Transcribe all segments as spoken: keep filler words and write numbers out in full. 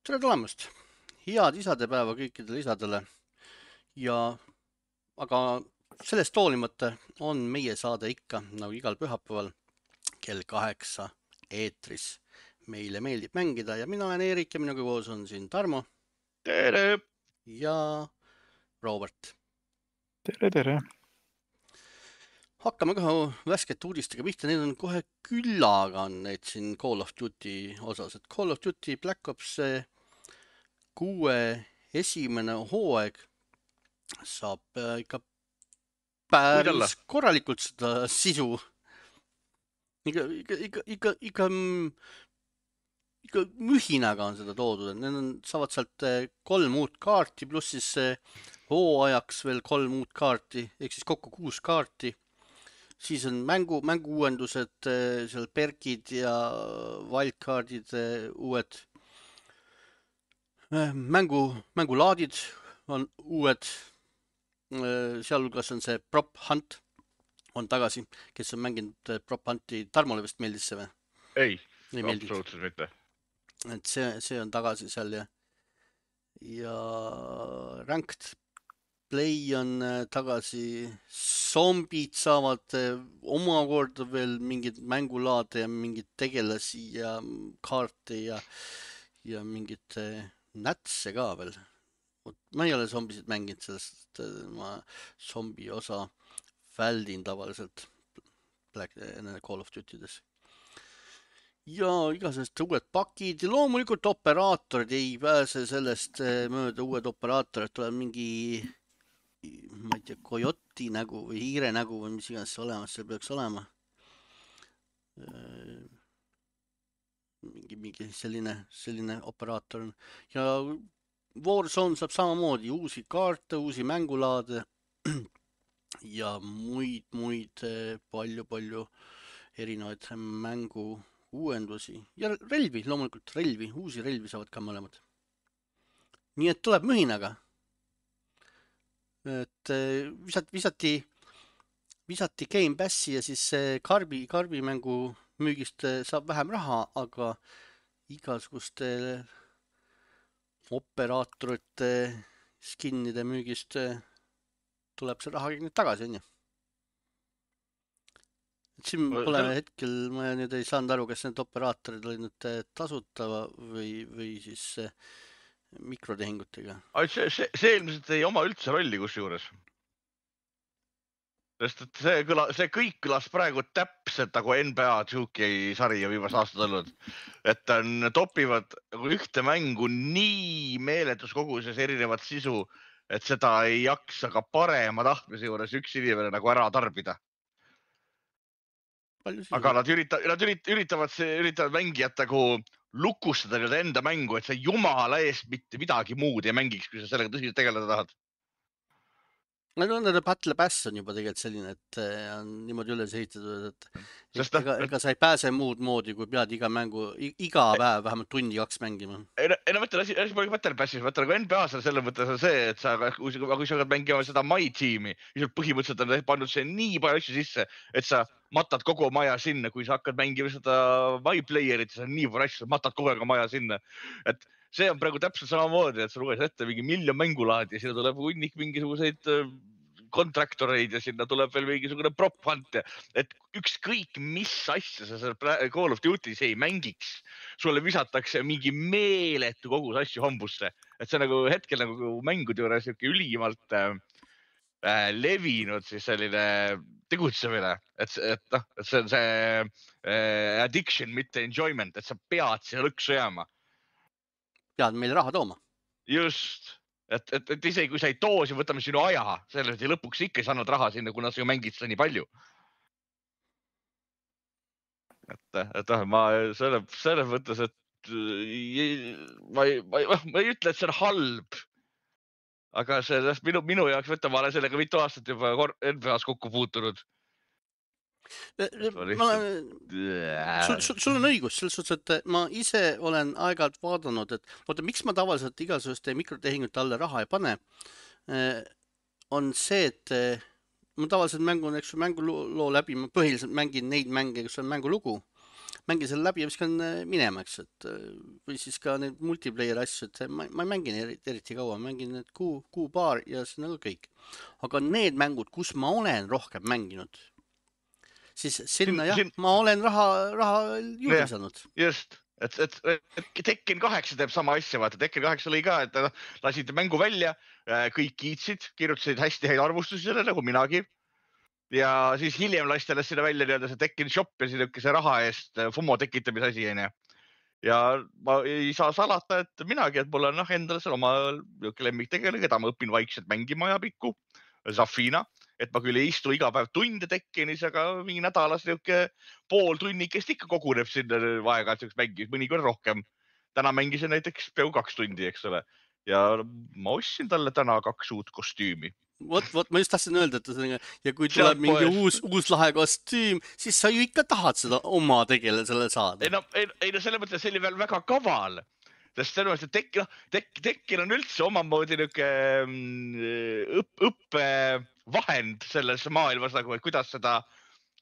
Tere tulemast! Head isadepäeva kõikidele isadele ja aga sellest hoolimata on meie saade ikka nagu igal pühapäeval kell kaheksa eetris. Meile meeldib mängida ja mina olen Eerik ja minuga koos on siin Tarmo Tere! ja Robert. Tere, tere! Hakkame kohe värskete uudistega pihta, need on kohe küllaga on need siin Call of Duty osas, et Call of Duty Black Ops kuue esimene hooaeg saab ikka päris korralikult seda sisu. Ikka, ikka, ikka, ikka, ikka, ikka mühinaga on seda toodud, et need on, saavad sealt kolm uut kaarti, pluss siis hooajaks veel kolm uut kaarti, ehk siis kokku kuus kaarti. Siis on mängu, mängu uuendused, seal perkid ja wildcardid uued. Mängu, mängulaadid on uued. Sealhulgas on see Prop Hunt on tagasi, kes on mänginud Prop Hunti. Tarmole vist meeldis see või? Ei, ei absoluutselt mitte. Et see, see on tagasi seal ja, ja Ranked Play on tagasi, zombid saavad omakorda veel mingid mängulaade ja mingid tegelasi ja kaarte ja, ja mingid nätse ka veel. Ma ei ole zombisid mänginud, sellest ma zombi osa väldin tavaliselt Black, Call of Duty'des. Ja igasugused uued pakid ja loomulikult operaatorid ei pääse sellest mööda, uued operaatorid tuleb mingi ma ei tea, kojoti nägu või hiire nägu või mis iganes olemas, seal peaks olema. Mingi, mingi selline, selline operaator on. Ja Warzone saab samamoodi uusi kaarte, uusi mängulaade ja muid, muid palju, palju erinevaid mängu uuendusi. Ja relvi, loomulikult relvi, uusi relvi saavad ka mõlemad. Nii et tuleb mühinaga. Et visati, visati, visati Game Passi ja siis karbi, karbi mängu müügist saab vähem raha, aga igasuguste operaatorite skinnide müügist tuleb see raha kõik nüüd tagasi, on ju. Siin pole Sel... hetkel, ma nüüd ei saanud aru, kas need operaatorid olid nüüd tasutava või, või siis mikrotehingutega. See, see, see ilmselt ei oma üldse rolli kus juures. Sest et see, kõla, see kõik kõlas praegu täpselt nagu N B A two K sari ja viimas aastad olnud. Et on, topivad ühte mängu nii meeletus koguses erinevat sisu, et seda ei jaksa ka parema tahtmise juures üks inimene nagu ära tarbida. Aga nad, ürita, nad üritavad, see, üritavad mängijat nagu lukustada nüüd enda mängu, et sa jumala eest mitte midagi muud ei mängiks, kui sa sellega tõsiselt tegeleda tahad. Nende Battle Pass on juba tegelikult selline, et on niimoodi üles ehitatud, et Sest ega, ega sa ei pääse muud moodi, kui pead iga mängu, iga päev vähemalt tundi kaks mängima. Ei, ei no mõtle, asi, asi pole Battle Passis, mõtle nagu N B A-s selle mõttes on see, et sa, kui, kui sa hakkad mängima seda My Teami, siis põhimõtteliselt on pannud see nii palju asju sisse, et sa matad kogu maja sinna, kui sa hakkad mängima seda My Playerit, siis on nii palju asju, matad kogu aeg maja sinna. Et see on praegu täpselt samamoodi, et sa luges ette mingi miljon mängulaadi ja sinna tuleb hunnik mingisuguseid kontraktoreid ja sinna tuleb veel mingisugune prop hunt, et ükskõik mis asja sa seal Call of Duty's ei mängiks, sulle visatakse mingi meeletu kogus asju hambusse. Et see nagu hetkel nagu mängude juures ülimalt äh, levinud siis selline tegutsemine, et, et, no, et see on see äh, addiction, mitte enjoyment, et sa pead siia lõksu jääma. Pead meile raha tooma. Just. Et, et, et isegi kui sa ei too, siis võtame sinu aja, sellest ja lõpuks ikka ei saanud raha sinna, kuna sa ju mängid seda nii palju. Et, et ma selle, selle mõttes, et ma ei, ma, ei, ma ei ütle, et see on halb, aga see, minu, minu jaoks võtta ma olen sellega mitu aastat juba N B A-s kokku puutunud. Ma olen, sul, sul, sul on õigus, selles suhtes, et ma ise olen aeg-ajalt vaadanud, et vaata, miks ma tavaliselt igasuguste mikrotehingute alla raha ei pane, on see, et ma tavaliselt mängun, eks mängu loo läbi, ma põhiliselt mängin neid mänge, kus on mängulugu mängin selle läbi ja viskan minema, eks, et või siis ka need multiplayer asju, et ma, ma ei mängi eriti, eriti kaua, mängin need kuu, kuu paar ja see on nagu kõik. aga need mängud, kus ma olen rohkem mänginud, siis sinna jah, ma olen raha, raha juurde saanud. Just, et, et, et Tekken kaheksa teeb sama asja, vaata, Tekken kaheksa lõi ka, et lasid mängu välja, kõik kiitsid, kirjutasid hästi häid arvustusi selle, nagu minagi. Ja siis hiljem lasti alles sinna välja nii-öelda see Tekken shop ja see raha eest FOMO tekitamise asi, on ju. Ja ma ei saa salata, et minagi, et mul on noh, endale seal oma lemmiktegelane, keda ma õpin vaikselt mängima ja pikku, Zafina, et ma küll ei istu iga päev tunde Tekkenis, aga mingi nädalas niuke pool tunnikest ikka koguneb sinna vaega mängis, mõnikord rohkem. Täna mängisin näiteks peaaegu kaks tundi, eks ole. Ja ma ostsin talle täna kaks uut kostüümi. Vot, vot, ma just tahtsin öelda, et ja kui tuleb mingi uus, uus lahe kostüüm, siis sa ju ikka tahad seda oma tegelasele saada. Ei no, ei, ei no selle mõttes see oli veel väga kaval, sest selle mõttes, et tek, no, tek, Tekken on üldse omamoodi niuke õpp, õppevahend selles maailmas, nagu, et kuidas seda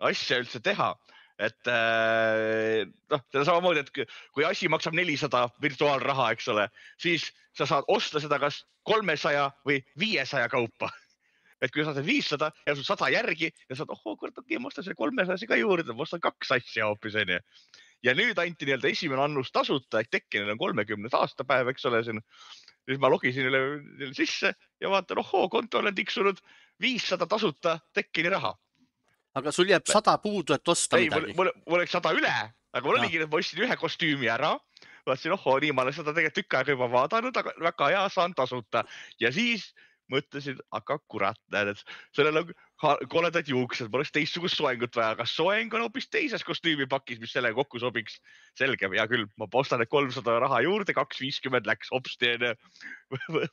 asja üldse teha. Et noh, seda samamoodi, et kui asi maksab nelisada virtuaalraha, eks ole, siis sa saad osta seda kas kolmesaja või viiesaja kaupa. Et kui sa saad viissada ja sul sada järgi ja saad, oh, kurat, okei, ma ostan selle kolmesaja ka juurde, ma ostan kaks asja hoopis, on ju. Ja nüüd anti nii-öelda esimene annus tasuta, et Tekkenil on kolmekümnes aastapäev, eks ole, siin. Siis ma logisin üle sisse ja vaatan, ohoo, konto olen tiksunud viissada tasuta Tekkeni raha. Aga sul jääb sada puudu, et osta ei, midagi. Mul, mul oleks sada üle, aga mul oligi, et ma ostsin ühe kostüümi ära. Vaatasin, ohoo, nii, ma olen seda tegelikult tükk aega juba vaadanud, aga väga hea, saan tasuta. Ja siis mõtlesin, aga kurat, näed, et sellel on koledad juuksed, ma oleks teistsugust soengut vaja, aga soeng on hoopis teises kostüümipakis, mis selle kokku sobiks. Selge, hea küll, ma ostan need kolmsada raha juurde, kaks viiskümmend läks hopsti,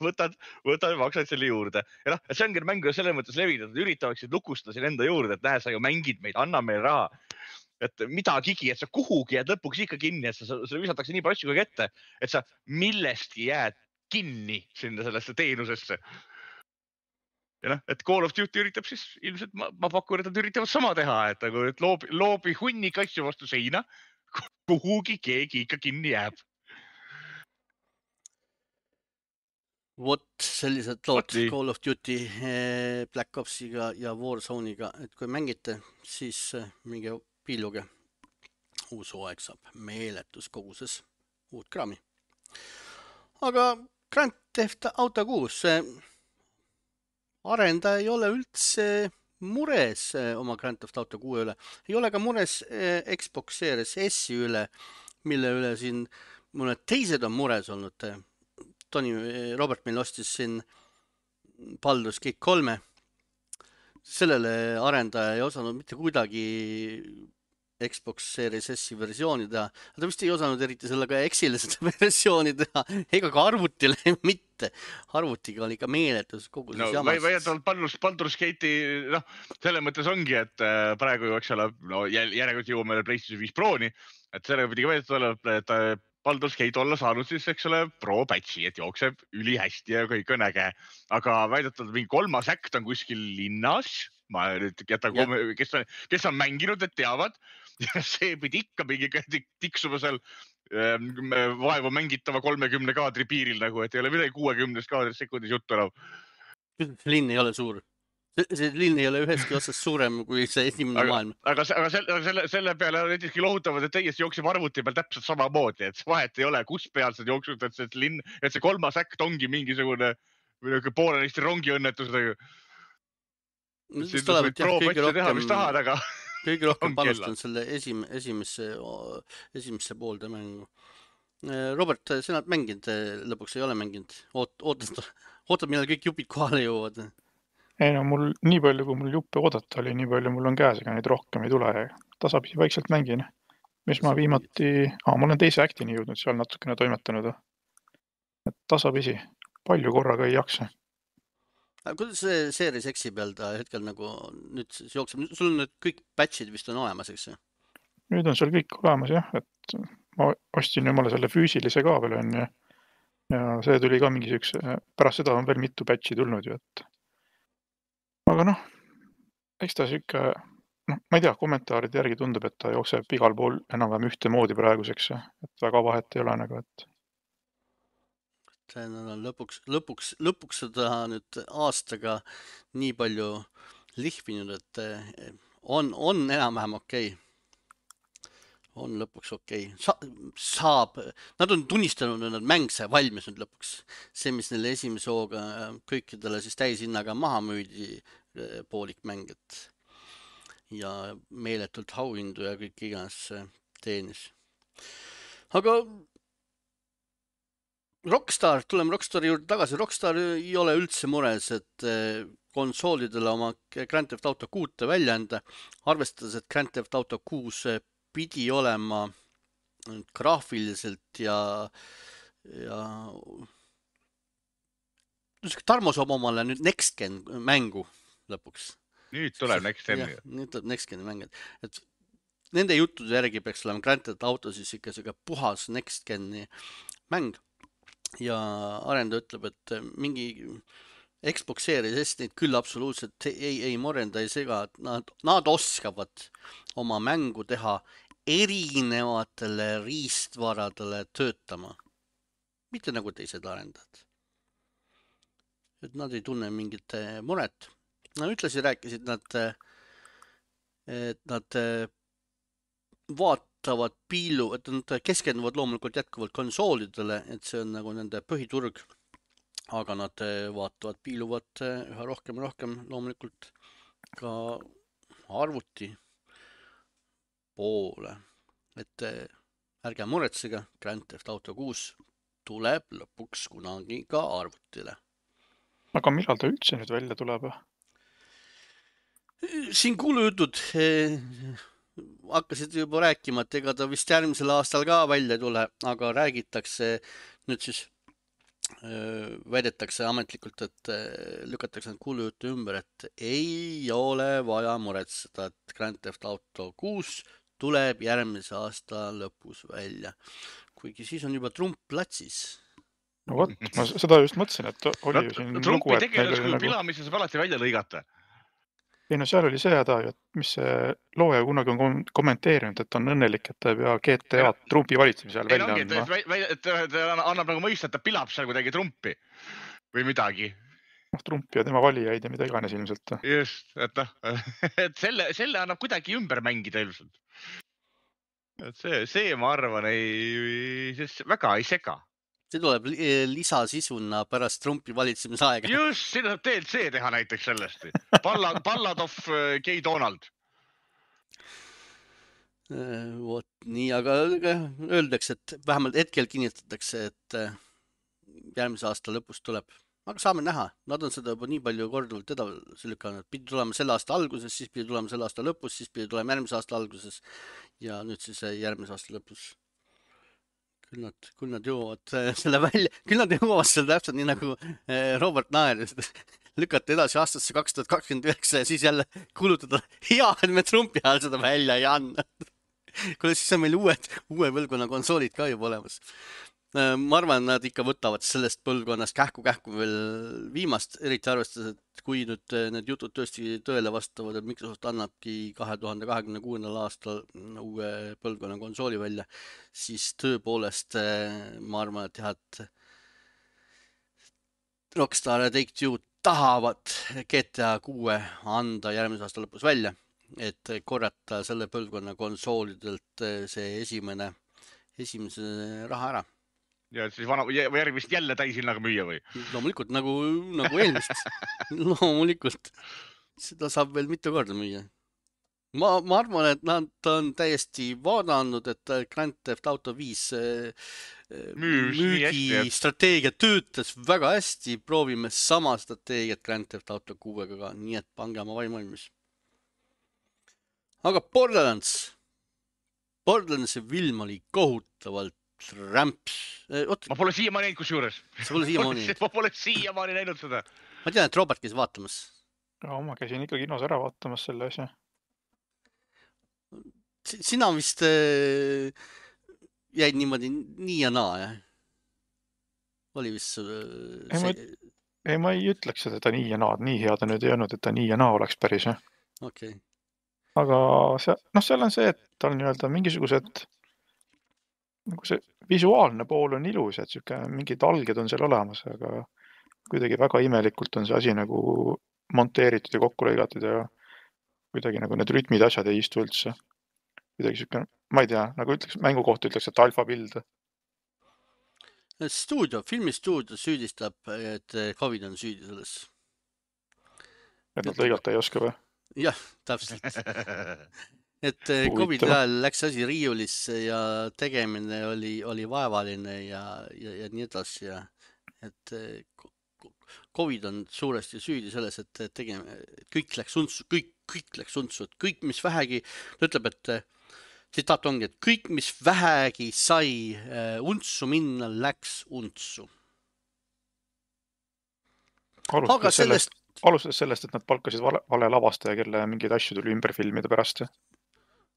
võtad, võtad, maksad selle juurde. Ja noh, see ongi mängu selles mõttes levinud, üritavaksid lukustada siin enda juurde, et näe, sa ju mängid meid, anna meil raha. Et midagigi, et sa kuhugi jääd lõpuks ikka kinni, et sa, sa visatakse nii palju asju kui ette, et sa millestki jääd kinni sinna sellesse teenusesse. Ja noh, et Call of Duty üritab siis ilmselt, ma, ma pakun, et nad üritavad sama teha, et, nagu, et loobi, loobi hunnik asju vastu seina, kuhugi keegi ikka kinni jääb. Vot sellised lood Call of Duty, Black Opsiga ja Warzone'iga, et kui mängite, siis minge pilluge. Uus hooaeg saab meeletus koguses uut kraami. Aga Grand Theft Auto kuus, arendaja ei ole üldse mures oma Grand Theft Auto kuue üle. Ei ole ka mures Xbox Series S üle, mille üle siin mõned teised on mures olnud. Tony Robert meil ostis siin Baldur's Gate kolme. Sellele arendaja ei osanud mitte kuidagi Xbox Series S versiooni teha. Ta vist ei osanud eriti sellega X-ile seda versiooni teha, ega ka arvutile mitte. Arvutiga oli ikka meeletus kogu see no, jamast. Väidetavalt Baldur's, Baldur's Gate'i, noh, selle mõttes ongi, et praegu ju, eks ole, no, järelikult jõuame PlayStation viis Proni, et sellega pidi ka väidetavalt, et Baldur's Gate olla saanud siis, eks ole, pro patchi, et jookseb üli hästi ja kõik on äge. Aga väidetavalt mingi kolmas äkt on kuskil linnas, ma nüüd jätan, kes on, kes on mänginud, et teavad, ja see pidi ikka mingi tiksuma seal vaevu mängitava kolmekümne kaadri piiril, nagu, et ei ole midagi kuuekümnest kaadrist sekundis juttu enam. Linn ei ole suur. See linn ei ole üheski otsast suurem kui see esimene aga, maailm. Aga, aga selle, selle, selle peale näiteski lohutavad, et täiesti jookseb arvuti peal täpselt sama moodi, et vahet ei ole, kus peal see jooksud, et see, linn, et see kolmas äkt ongi mingisugune poolenisti rongiõnnetusega. No, siis tuleb, et jah, kõige rohkem, tahad, aga kõige rohkem panustan selle esim, esimesse, esimesse poolde mängu. Robert, sina oled mänginud, lõpuks ei ole mänginud. Oot, ootad, ootad, millal kõik jupid kohale jõuavad? Ei no mul nii palju, kui mul juppe oodata oli, nii palju mul on käes, ega neid rohkem ei tule. Tasapisi vaikselt mängin. Mis ma viimati, ah, ma olen teise äktini jõudnud, seal natukene toimetanud. Et tasapisi, palju korraga ei jaksa. Kuidas see Series X-i peal ta hetkel nagu nüüd jookseb? Sul on nüüd kõik patchid vist on olemas, eks? Nüüd on seal kõik olemas, jah. Et ma ostsin jumala selle füüsilise ka veel on, ja, ja see tuli ka mingi üks, pärast seda on veel mitu patchi tulnud ju, et aga noh, eks ta siuke noh, ma ei tea, kommentaaride järgi tundub, et ta jookseb igal pool enam-vähem ühte moodi praeguseks, et väga vahet ei ole nagu, et see on lõpuks, lõpuks, lõpuks seda nüüd aastaga nii palju lihvinud, et eh, on, on enam-vähem okei. On lõpuks okei. Sa, saab, nad on tunnistanud, et nad mäng sai valmis nüüd lõpuks. See, mis neile esimese hooga kõikidele siis täishinnaga maha müüdi, eh, poolik mäng, et ja meeletult auhindu ja kõik iganes eh, teenis. Aga Rockstar, tuleme Rockstari juurde tagasi. Rockstar ei ole üldse mures, et eh, konsoolidele oma Grand Theft Auto kuute välja anda, arvestades, et Grand Theft Auto kuus eh, pidi olema graafiliselt ja, ja Tarmo saab omale nüüd Next Gen mängu lõpuks. Nüüd tuleb Next Gen. Ja, nüüd tuleb Next Geni mäng. Et nende juttude järgi peaks olema Grand Theft Auto siis ikka siga puhas Next Geni mäng. Ja arendaja ütleb, et mingi Xbox Series S neid küll absoluutselt ei, ei morenda, ei sega, et nad, nad oskavad oma mängu teha erinevatele riistvaradele töötama. Mitte nagu teised arendajad. Et nad ei tunne mingit muret. Nad ütlesid, rääkisid, nad, et nad vaatavad piilu, et nad keskenduvad loomulikult jätkuvalt konsoolidele, et see on nagu nende põhiturg. Aga nad vaatavad, piiluvad üha rohkem ja rohkem loomulikult ka arvuti poole. Et ärge muretsega, Grand Theft Auto kuus tuleb lõpuks kunagi ka arvutile. Aga millal ta üldse nüüd välja tuleb? Siin kuulujutud eh, hakkasid juba rääkima, et ega ta vist järgmisel aastal ka välja tule, aga räägitakse nüüd siis eh, väidetakse ametlikult, et eh, lükatakse need kuulujutu ümber, et ei ole vaja muretseda, et Grand Theft Auto kuus tuleb järgmise aasta lõpus välja. Kuigi siis on juba Trump platsis. No vot, ma seda just mõtlesin, et oli ju siin Trumpi lugu, tegelaskuju nagu... pilamises saab alati välja lõigata. Ei no seal oli see häda, et mis see looja kunagi on kommenteerinud, et on õnnelik, et ta ei pea G T A Trumpi valitsemise ajal välja andma. Et ta annab nagu mõista, et ta pilab seal kuidagi Trumpi või midagi. noh, Trump ja tema valijaid ja mida iganes ilmselt. Just, et noh, et selle, selle annab kuidagi ümber mängida ilmselt. Et see, see ma arvan, ei, väga ei sega. See tuleb lisasisuna pärast Trumpi valitsemise aega. Just, siin saab D L C teha näiteks sellest. Ballad, Ballad of Gay Donald. Vot nii, aga öeldakse, et vähemalt hetkel kinnitatakse, et järgmise aasta lõpus tuleb. Aga saame näha, nad on seda juba nii palju korduvalt edasi lükanud. Pidi tulema selle aasta alguses, siis pidi tulema selle aasta lõpus, siis pidi tulema järgmise aasta alguses ja nüüd siis järgmise aasta lõpus. Küll nad, küll nad jõuavad selle välja, küll nad jõuavad selle täpselt nii nagu Robert Naer lükata edasi aastasse kaks tuhat kakskümmend üheksa ja siis jälle kulutada hea, et me Trumpi ajal seda välja ei anna. Kuule, siis on meil uued, uue põlvkonna konsoolid ka juba olemas. Ma arvan, nad ikka võtavad sellest põlvkonnast kähku-kähku veel viimast, eriti arvestades, et kui nüüd need jutud tõesti tõele vastavad, et Microsoft annabki kahe tuhande kahekümne kuuendal aastal uue põlvkonna konsooli välja, siis tõepoolest ma arvan, et jah, et Rockstar ja Take-Two tahavad G T A kuue anda järgmise aasta lõpus välja, et korrata selle põlvkonna konsoolidelt see esimene, esimese raha ära. Ja siis vana, järgmist jälle täishinnaga müüa või? Loomulikult, nagu, nagu eelmist. Loomulikult. Seda saab veel mitu korda müüa. Ma, ma arvan, et nad on täiesti vaadanud, et Grand Theft Auto viis Müüs, müügi strateegia töötas väga hästi. Proovime sama strateegiat Grand Theft Auto kuuega ka, nii et pange oma vaim valmis. Aga Borderlands. Borderlandsi film oli kohutavalt rämps. Oot, ma pole siiamaani näinud kus juures. Sa pole siiamaani näinud? Ma pole siiamaani näinud seda. Ma tean, et Robert käis vaatamas. Ja, ma käisin ikka kinos ära vaatamas selle asja. Sina vist äh, jäid niimoodi nii ja naa, jah? Oli vist äh, ei, ma, ei, ma ei ütleks, et ta nii ja naa, nii hea ta nüüd ei olnud, et ta nii ja naa oleks päris. Okay. aga see, noh, seal on see, et tal nii-öelda mingisugused, nagu see visuaalne pool on ilus, et siuke mingid alged on seal olemas, aga kuidagi väga imelikult on see asi nagu monteeritud ja kokku lõigatud ja kuidagi nagu need rütmid asjad ei istu üldse. Kuidagi siuke, ma ei tea, nagu ütleks, mängu kohta ütleks, et alfa pild. stuudio, filmistuudio süüdistab, et Covid on süüdi selles. Et nad lõigata ei oska või? Jah, täpselt. Et Covid ajal läks asi riiulisse ja tegemine oli, oli vaevaline ja, ja, ja nii edasi. Ja, et Covid on suuresti süüdi selles, et tegeme, kõik läks untsu, kõik, kõik läks untsu, et kõik, mis vähegi, ta ütleb, et tsitaat ongi, et kõik, mis vähegi sai untsu minna, läks untsu. Alustades sellest, alustades sellest, et nad palkasid vale, vale lavastaja, kelle mingeid asju tuli ümber filmida pärast.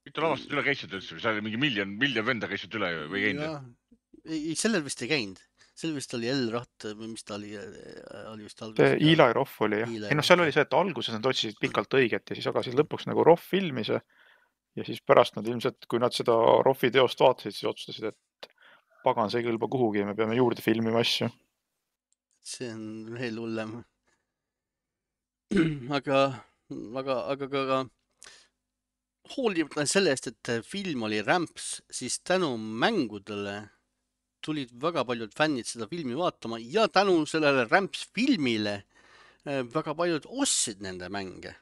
Mitu lavastad üle käisid üldse? See oli mingi miljon, miljon venda käisid üle või käinud? Ei, sellel vist ei käinud. Sellel vist oli L-Ratt või mis ta oli, oli vist alguses. Eli Roth oli jah. Ei noh, seal oli see, et alguses nad otsisid pikalt õiget ja siis agasid lõpuks nagu Roth filmis ja siis pärast nad ilmselt, kui nad seda Rothi teost vaatasid, siis otsustasid, et pagan, see ei kõlba kuhugi ja me peame juurde filmima asju. See on veel hullem. Aga, aga, aga, aga hoolimata sellest, et film oli rämps, siis tänu mängudele tulid väga paljud fännid seda filmi vaatama ja tänu sellele rämps filmile väga paljud ostsid nende mänge.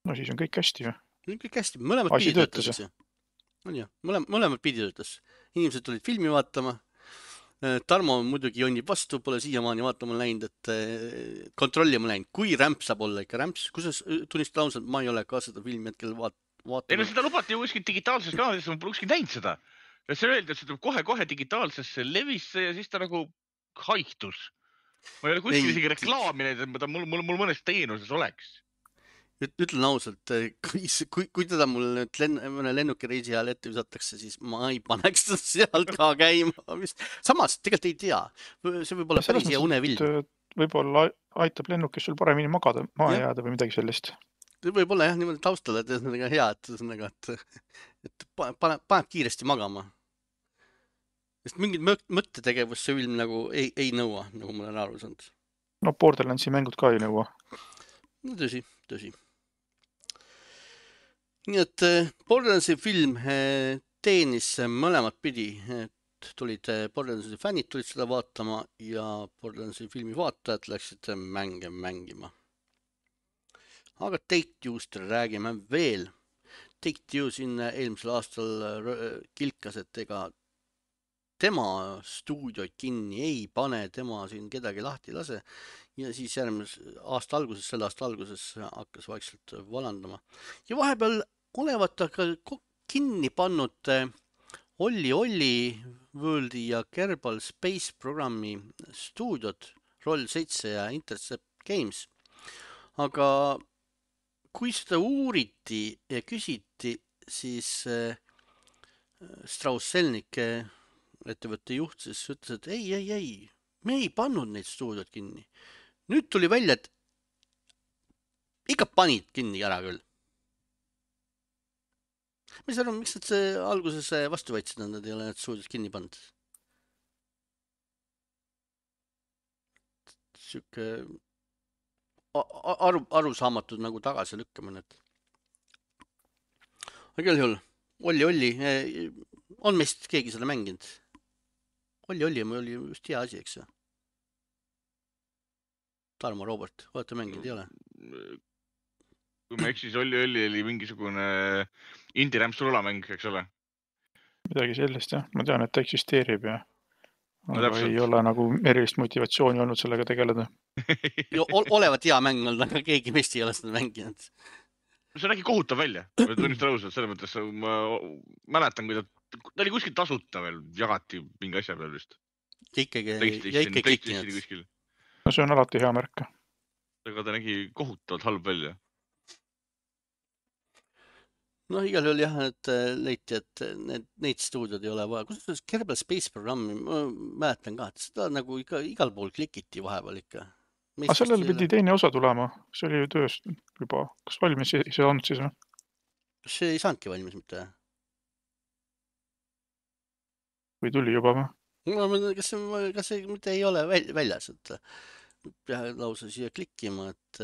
No siis on kõik hästi ju. Kõik hästi, mõlemad pidi töötas. On ju, mõlemad, mõlemad pidi töötas. Inimesed tulid filmi vaatama. Tarmo muidugi jonnib vastu, pole siiamaani vaatama läinud, et kontrollima läinud. Kui rämps saab olla ikka rämps? Kus tunnistada ausalt, ma ei ole ka seda filmi hetkel vaatama. Ei no seda lubati ju kuskil digitaalses kanalises, ma pole kuskil näinud seda. Ja see öeldi, et see tuleb kohe-kohe digitaalsesse levisse ja siis ta nagu haihtus. Ma ei ole kuskil isegi reklaami neid, et mul, mul, mul mõnes teenuses oleks. Ütlen ausalt, kui, kui, kui teda mul nüüd lenn, mõne lennukireisi ajal ette visatakse, siis ma ei paneks seda sealt ka käima. Samas, tegelikult ei tea. See võib olla päris hea unevild. Võib-olla aitab lennukis sul paremini magada, maha jääda või midagi sellist. Võib-olla jah, niimoodi taustale, et see on hea, et, et paneb, paneb kiiresti magama. Sest mingid mõttetegevust see film nagu ei, ei nõua, nagu ma olen aru saanud. No Borderlandsi mängud ka ei nõua. No tõsi, tõsi. Nii et Borderlandsi film teenis mõlemad pidi, et tulid Borderlandsi fännid tulid seda vaatama ja Borderlandsi filmi vaatajad läksid mänge mängima. Aga Take-Two'st räägime veel. Take-Two siin eelmisel aastal kilkas, et ega tema stuudioid kinni ei pane, tema siin kedagi lahti lase. Ja siis järgmise aasta alguses, selle aasta alguses hakkas vaikselt valandama. Ja vahepeal olevat aga kinni pannud Olli Olli Worldi ja Kerbal Space programmi stuudiod, Roll seitse ja Intercept Games. Aga kui seda uuriti ja küsiti, siis Strauss-Selnik, ettevõtte juht, siis ütles, et ei, ei, ei, me ei pannud neid stuudiod kinni. Nüüd tuli välja, et ikka panid kinni ära küll. Mis arvan, miks nad see alguses vastu võitsid, nad ei ole need stuudiod kinni pannud? Siuke aru, arusaamatud nagu tagasi lükkamine. Aga küll juhul, Olli, Olli, on meist keegi seda mänginud? Olli, Olli, ma oli just hea asi, eks ju? Tarmo, Robert, olete mänginud, ei ole? Kui ma eksis, Olli, Olli oli mingisugune indie-rämps rulamäng, eks ole? Midagi sellist, jah. Ma tean, et ta eksisteerib ja aga no, ei ole nagu erilist motivatsiooni olnud sellega tegeleda. Jo, olevat hea mäng olnud, aga keegi meist ei ole seda mänginud. See nägi kohutav välja, tunnistan ausalt, selles mõttes ma mäletan, kui ta, ta oli kuskil tasuta veel, jagati mingi asja peal vist. Ja ikkagi, ja ikkagi klikkinud. No see on alati hea märk. Aga ta nägi kohutavalt halb välja. No igal juhul jah, et leiti, et need, neid stuudiod ei ole vaja. Kus Kerbal Space programmi, ma mäletan ka, et seda nagu iga, igal pool klikiti vahepeal ikka. Aga sellel pidi teine osa tulema, see oli ju töös juba, kas valmis see, see on siis või? See ei saanudki valmis mitte. Või tuli juba või? No, kas see, kas see mitte ei ole väljas, et peab lausa siia klikkima, et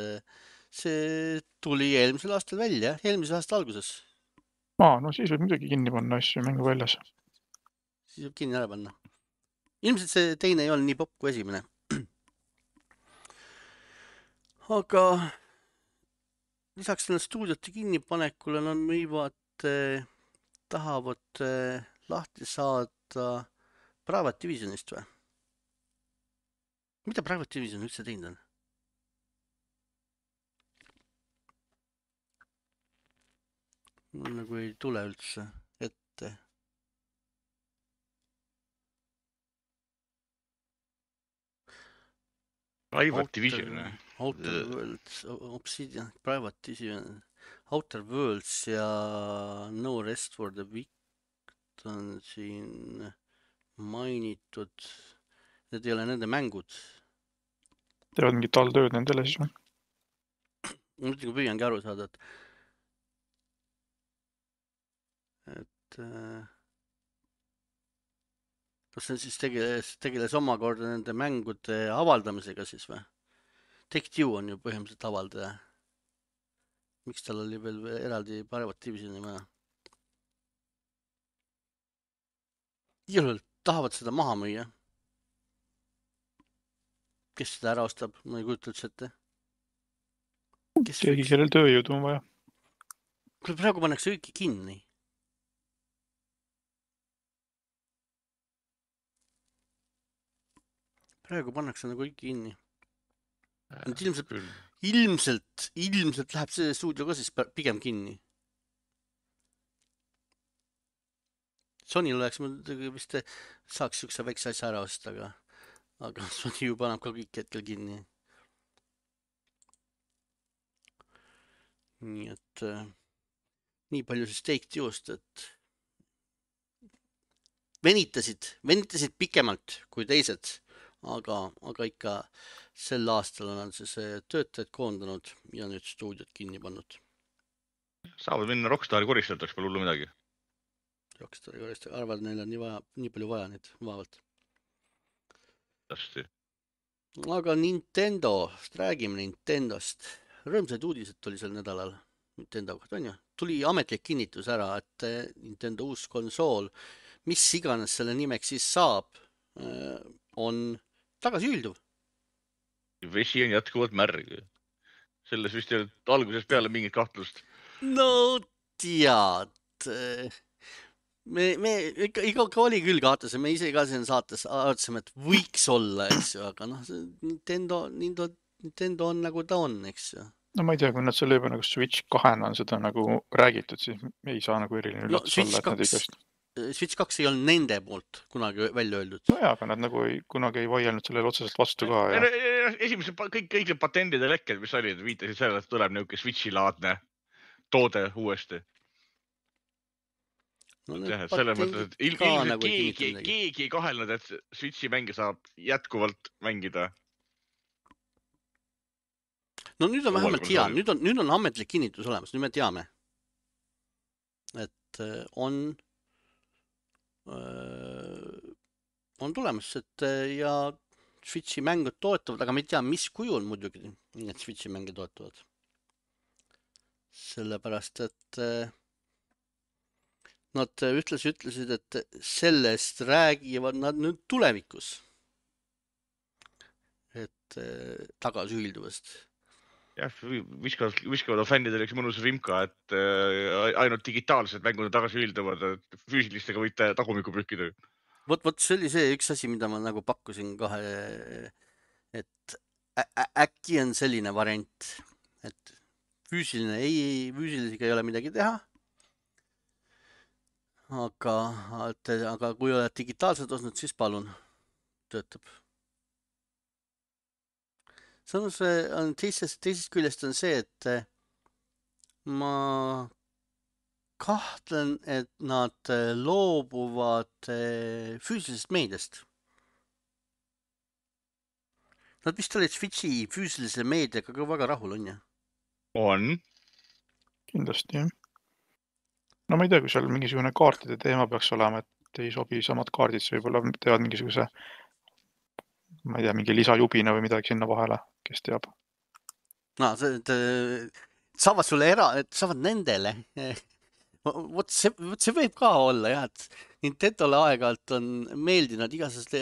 see tuli eelmisel aastal välja, eelmisel aasta alguses. Aa, no siis võib midagi kinni panna asju mängu väljas. Siis võib kinni ära panna. Ilmselt see teine ei ole nii popp kui esimene. Aga lisaks selle stuudiote kinnipanekule nad võivad, tahavad lahti saada Private Divisionist või? Mida Private Division üldse teinud on? Nagu ei tule üldse ette. Private Division. Outer Worlds, Obsidian, Private Division, Outer Worlds ja No Rest for the Wicked on siin mainitud. Need ei ole nende mängud. Teevad mingit alltööd nendele siis või? Mõtlen, kui püüangi aru saada, et et kas see siis tegeles, tegeles omakorda nende mängude avaldamisega siis või? Take-Two on ju põhimõtteliselt avaldaja. Miks tal oli veel eraldi Private Divisioni vaja? Igal tahavad seda maha müüa. Kes seda ära ostab? Ma ei kujuta üldse ette. Keegi, kellel tööjõudu on vaja. Praegu pannakse kõiki kinni. Praegu pannakse nagu kõiki kinni. Ilmselt, ilmselt, ilmselt läheb see stuudio ka siis pigem kinni. Sonyl oleks vist saaks üks väikse asja ära osta, aga, aga Sony ju paneb ka kõik hetkel kinni. Nii et nii palju siis Take-Two'st, et venitasid, venitasid pikemalt kui teised. Aga, aga ikka sel aastal on siis töötajad koondanud ja nüüd stuudiot kinni pannud. Saavad minna Rockstari koristajateks, pole hullu midagi. Rockstari koristajad, arvad, neil on nii, vaja, nii palju vaja neid vaevalt. Tästi. Aga Nintendo, räägime Nintendost. Rõõmsaid uudised tuli sel nädalal Nintendo kohta, on ju? Tuli ametlik kinnitus ära, et Nintendo uus konsool, mis iganes selle nimeks siis saab, on tagasi üldub. Vesi on jätkuvalt märg. Selles vist ei olnud alguses peale mingit kahtlust. No tead. Me, me ikka, ikka oli küll kahtlus. Me ise ka siin saates arvatsime, et võiks olla, eks ju. Aga noh, Nintendo, Nintendo, Nintendo on nagu ta on, eks ju. No ma ei tea, kui nad selle juba nagu Switch kahena on seda nagu räägitud, siis ei saa nagu eriline üllatus no, olla, et nad ei kast. Switch kaks ei olnud nende poolt kunagi välja öeldud. No jaa, aga nad nagu ei, kunagi ei vaielnud sellele otseselt vastu ka. Ja... Esimesed kõik, kõik need patendid ja lekked, mis olid, viitasid sellele, et tuleb niuke Switchi-laadne toode uuesti. No, ja, selle mõttes, et il, ilmselt nagu keegi, keegi ei kahelnud, et Switchi mänge saab jätkuvalt mängida. No nüüd on vähemalt hea, nüüd on, nüüd on ametlik kinnitus olemas, nüüd me teame, et on on tulemas, et ja Switchi mängud toetavad, aga me ei tea, mis kujul muidugi need Switchi mänge toetavad. Sellepärast, et nad ütles, ütlesid, et sellest räägivad nad nüüd tulevikus. Et tagasi ühilduvast. Jah, viskavad, viskavad fännidele üks mõnus rimka, et ainult digitaalsed mängud tagasi ühilduvad, et füüsilistega võite tagumiku pühkida. Vot, vot see oli see üks asi, mida ma nagu pakkusin kahe, et ä äkki on selline variant, et füüsiline ei, füüsilisega ei ole midagi teha. Aga, et, aga kui oled digitaalselt osnud, siis palun, töötab. Samas on teisest, teisest küljest on see, et ma kahtlen, et nad loobuvad füüsilisest meediast. Nad vist olid Switchi füüsilise meediaga ka väga rahul, on ju? On. Kindlasti, jah. No ma ei tea, kui seal mingisugune kaartide teema peaks olema, et ei sobi samad kaardid, siis võib-olla teevad mingisuguse, ma ei tea, mingi lisajubina või midagi sinna vahele, kes teab. No, see, et, saavad sulle era, et saavad nendele. Vot see, vot see võib ka olla, jah, et Nintendole aeg-ajalt on meeldinud igasugust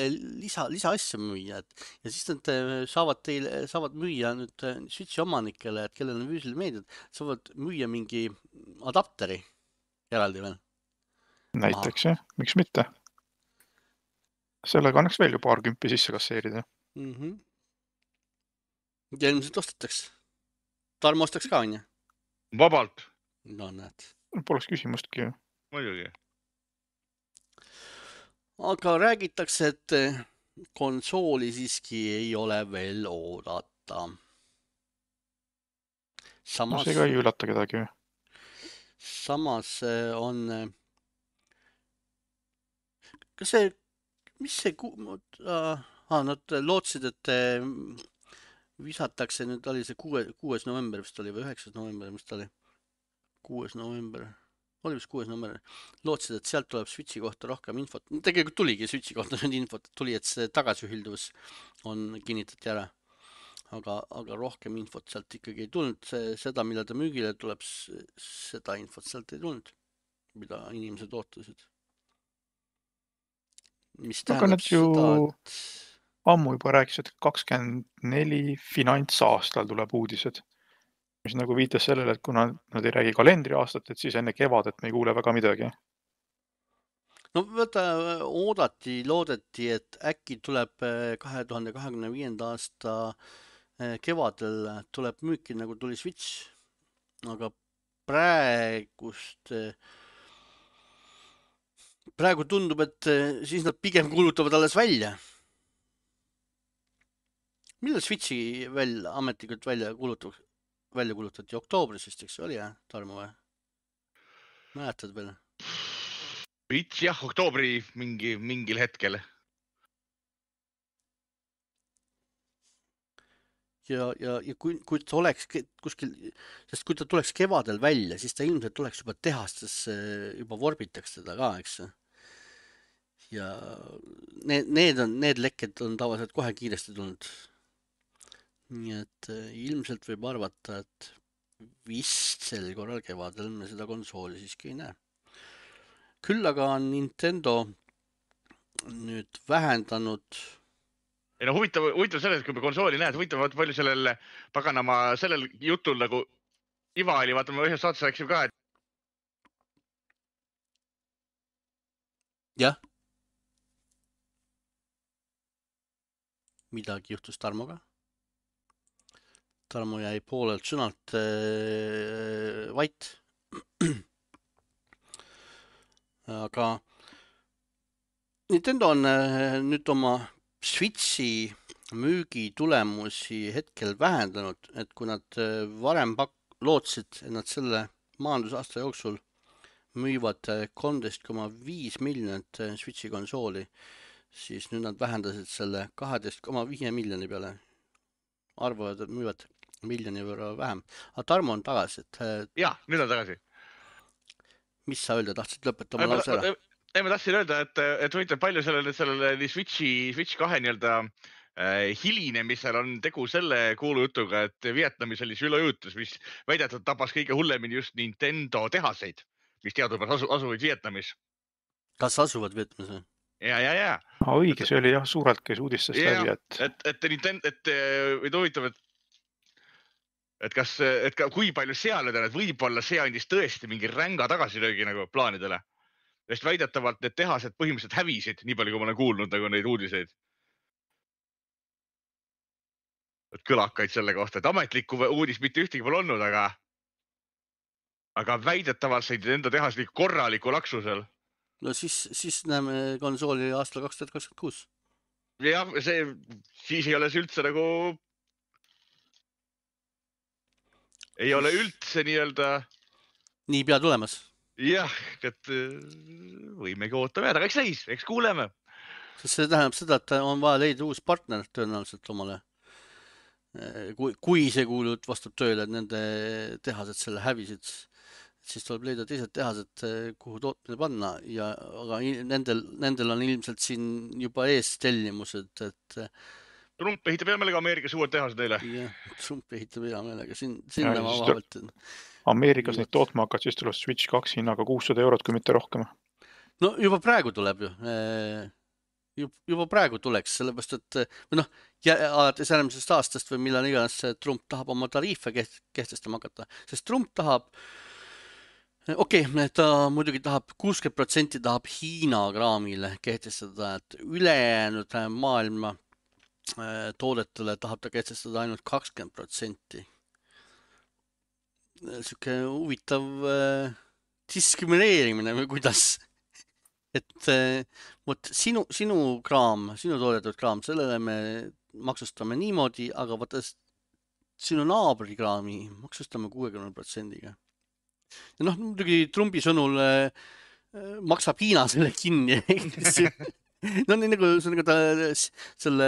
lisa, lisa asja müüa, et ja siis nad saavad teile, saavad müüa nüüd Switchi omanikele, et kellel on füüsiline meediad, saavad müüa mingi adapteri eraldi veel. Näiteks, jah, miks mitte? Sellega annaks veel ju paar kümpi sisse kasseerida. Mm-hmm. Ja ilmselt ostetaks. Tarmo ostaks ka, on ju? Vabalt. No näed. Poleks küsimustki ju. Muidugi. Aga räägitakse, et konsooli siiski ei ole veel oodata. Samas, no see ka ei üllata kedagi. Samas on... Kas see... Mis see... Ah, nad lootsid, et visatakse, nüüd oli see kuues november vist oli või üheksas november, mis ta oli? kuues november, oli vist kuues november, lootsid, et sealt tuleb Switchi kohta rohkem infot. Tegelikult tuligi Switchi kohta nüüd infot, tuli, et see tagasiühilduvus on kinnitati ära. Aga, aga rohkem infot sealt ikkagi ei tulnud. See, seda, mida ta müügile tuleb, seda infot sealt ei tulnud, mida inimesed ootasid. Mis aga nad ju seda, et... ammu juba rääkisid, et kakskümmend neli finantsaastal tuleb uudised. Mis nagu viitas sellele, et kuna nad ei räägi kalendriaastat, et siis enne kevadet me ei kuule väga midagi. No võtta, oodati, loodeti, et äkki tuleb kahe tuhande kahekümne viienda aasta kevadel tuleb müüki, nagu tuli Switch. Aga praegust, praegu tundub, et siis nad pigem kulutavad alles välja. Millal Switchi veel ametlikult välja kulutavad? välja kulutati oktoobris vist, eks oli, jah, Tarmo või? Mäletad veel? Switch, jah, oktoobri mingi, mingil hetkel. Ja, ja, ja kui, kui ta oleks kuskil, sest kui ta tuleks kevadel välja, siis ta ilmselt tuleks juba tehastes, juba vorbitaks teda ka, eks. Ja need, need, on, need lekked on tavaliselt kohe kiiresti tulnud. Nii et ilmselt võib arvata, et vist sel korral kevadel me seda konsooli siiski ei näe. Küll aga on Nintendo nüüd vähendanud... Ei no huvitav, huvitav selles, kui me konsooli näed, huvitav vaata palju sellel paganama, sellel jutul nagu Iva oli, vaata me ühes saates rääkisime ka, et... Jah. Midagi juhtus Tarmoga. Tarmo jäi poolelt sõnalt äh, vait. Aga Nintendo on äh, nüüd oma Switchi müügi tulemusi hetkel vähendanud, et kui nad äh, varem pak- lootsid, et nad selle maandusaasta jooksul müüvad kolmteist koma viis miljonit Switchi konsooli, siis nüüd nad vähendasid selle kaheteist koma viis miljoni peale. Arvavad, et müüvad miljoni võrra vähem. Aga Tarmo on tagasi, et... Jah, nüüd on tagasi. Mis sa öelda tahtsid lõpetama lause ära? Ei, ma tahtsin öelda, et, et võitleb palju sellele, sellele Switchi, Switch kahe nii-öelda äh, hilinemisel on tegu selle kuulujutuga, et Vietnamis oli sülejutus, mis väidetud tabas kõige hullemini just Nintendo tehaseid, mis teadupärast asu, asuvad Vietnamis. Kas asuvad Vietnamis? Ja, ja, ja. Ah, õige, see oli jah suurelt käis uudistest ja, läbi, et... Et, et, Nintendo, et, et huvitav, et, et, kas, et ka, kui palju seal on, et võib-olla see andis tõesti mingi ränga tagasilöögi nagu plaanidele. Sest väidetavalt need tehased põhimõtteliselt hävisid, nii palju kui ma olen kuulnud nagu neid uudiseid. Et kõlakaid selle kohta, et ametlikku uudis mitte ühtegi pole olnud, aga, aga väidetavalt said enda tehas liik korraliku laksusel. No siis, siis näeme konsooli aastal kaks tuhat kakskümmend kuus. Jah, see, siis ei ole see üldse nagu... Ei ole üldse nii-öelda... Nii pea tulemas. Jah, et võimegi ootame jääda, aga eks näis, eks kuuleme. See tähendab seda, et on vaja leida uus partner tõenäoliselt omale. kui, kui see kuulut vastab tööle, et nende tehased selle hävisid, siis tuleb leida teised tehased, kuhu tootmine panna ja aga nendel, nendel on ilmselt siin juba ees tellimused, et Trump ehitab hea meelega Ameerikas uued tehased neile. jah, Trump ehitab hea meelega siin, sinna Ja ma siis vahavalt. Ameerikas neid tootma hakkad, siis tuleb Switch kaks hinnaga kuussada eurot, kui mitte rohkem. No juba praegu tuleb ju. Juba praegu tuleks, sellepärast, et või noh, alates järgmisest aastast või millal iganes Trump tahab oma tariife kehtestama hakata, sest Trump tahab, okei, okay, ta muidugi tahab kuuskümmend protsenti tahab Hiina kraamile kehtestada, et ülejäänud maailma toodetele tahab ta kehtestada ainult kakskümmend protsenti. Siuke huvitav diskrimineerimine või kuidas? Et võt, sinu, sinu kraam, sinu toodetud kraam, sellele me maksustame niimoodi, aga vaata sinu naabri kraami maksustame kuuekümne protsendiga. Ja noh, muidugi Trumpi sõnul äh, maksab Hiina selle kinni. No nii nagu, nagu ta selle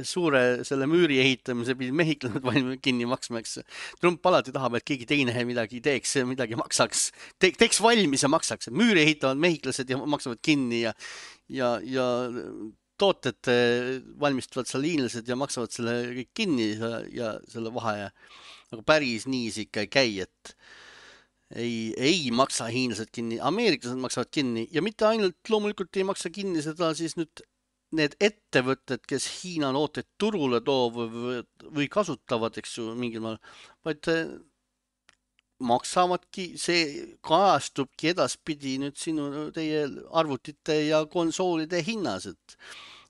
suure, selle müüri ehitamise pidi mehiklased valmis kinni maksma, eks. Trump alati tahab, et keegi teine midagi teeks, midagi maksaks, Te, teeks valmis ja maksaks. Müüri ehitavad mehiklased ja maksavad kinni ja, ja, ja tooted valmistavad seal hiinlased ja maksavad selle kõik kinni ja, ja selle vahe. Aga päris nii see ikka ei käi, et Ei, ei maksa hiinlased kinni, ameeriklased maksavad kinni ja mitte ainult loomulikult ei maksa kinni seda siis nüüd need ettevõtted, kes Hiina tooteid turule toob või, või kasutavad, eks ju, mingil maal, vaid maksavadki, see kajastubki edaspidi nüüd sinu, teie arvutite ja konsoolide hinnas, et,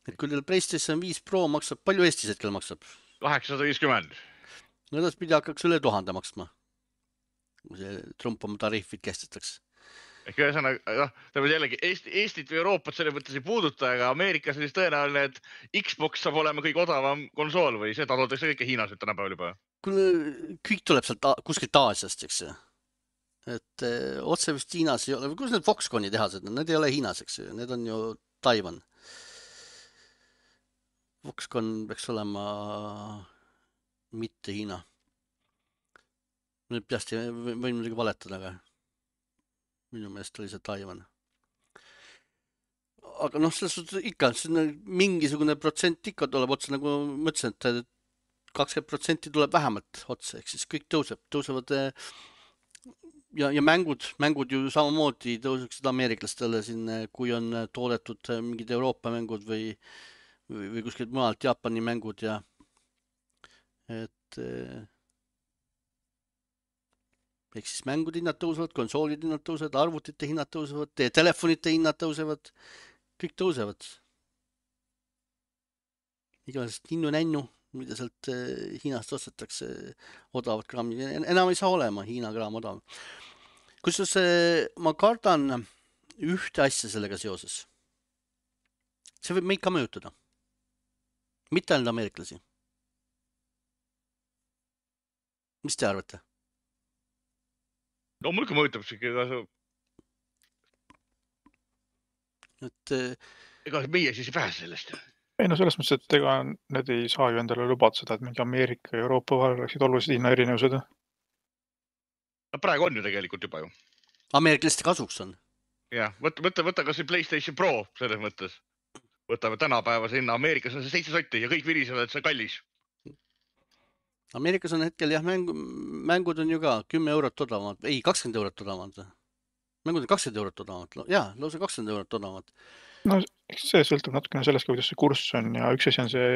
et kui teil PlayStation viis Pro maksab, palju Eestis hetkel maksab? kaheksasada viiskümmend. No edaspidi hakkaks üle tuhande maksma. Kui see Trump oma tariifid kestestaks. Ehk ühesõnaga, noh, tähendab jällegi Eesti, Eestit või Euroopat selle mõttes ei puuduta, aga Ameerikas on siis tõenäoline, et Xbox saab olema kõige odavam konsool või see toodetakse kõike Hiinas nüüd tänapäeval juba. Kõik tuleb sealt kuskilt Aasiast, eks ju. Et eh, otse vist Hiinas ei ole, või kus need Foxconni tehased, need ei ole Hiinas, eks ju, need on ju Taiwan. Foxconn peaks olema mitte Hiina. Nüüd peast võin muidugi valetada, aga minu meelest oli see Taiwan. Aga noh, selles suhtes ikka, mingisugune protsent ikka tuleb otsa, nagu ma ütlesin, et kakskümmend protsenti tuleb vähemalt otsa, ehk siis kõik tõuseb, tõusevad ja, ja mängud, mängud ju samamoodi tõuseksid ameeriklastele siin, kui on toodetud mingid Euroopa mängud või, või, või kuskilt mujalt Jaapani mängud ja et ehk siis mängude hinnad tõusevad, konsoolide hinnad tõusevad, arvutite hinnad tõusevad, teie telefonite hinnad tõusevad, kõik tõusevad. Igasest ninnu-nännu, mida sealt Hiinast ostetakse odavat kraami, enam ei saa olema Hiina kraam odav. Kusjuures ma kardan ühte asja sellega seoses. See võib meid ka mõjutada. Mitte ainult ameeriklasi. Mis te arvate? No muidugi mõjutab see. Et, ega meie siis ei pääse sellest. Ei no selles mõttes, et ega need ei saa ju endale lubada seda, et mingi Ameerika ja Euroopa vahel oleksid olulised hinna erinevused. No praegu on ju tegelikult juba ju. Ameeriklaste kasuks on. Jah, võtta, võtta, võtta kas PlayStation Pro selles mõttes. Võtame tänapäeva sinna. Ameerikas on see seitse sotti ja kõik virisevad, et see on kallis. Ameerikas on hetkel jah, mängu, mängud on ju ka kümme eurot odavamad, ei kakskümmend eurot odavamad. Mängud on kakskümmend eurot odavamad, jaa, lausa kakskümmend eurot odavamad. No see sõltub natukene sellest, kuidas see kurss on ja üks asi on see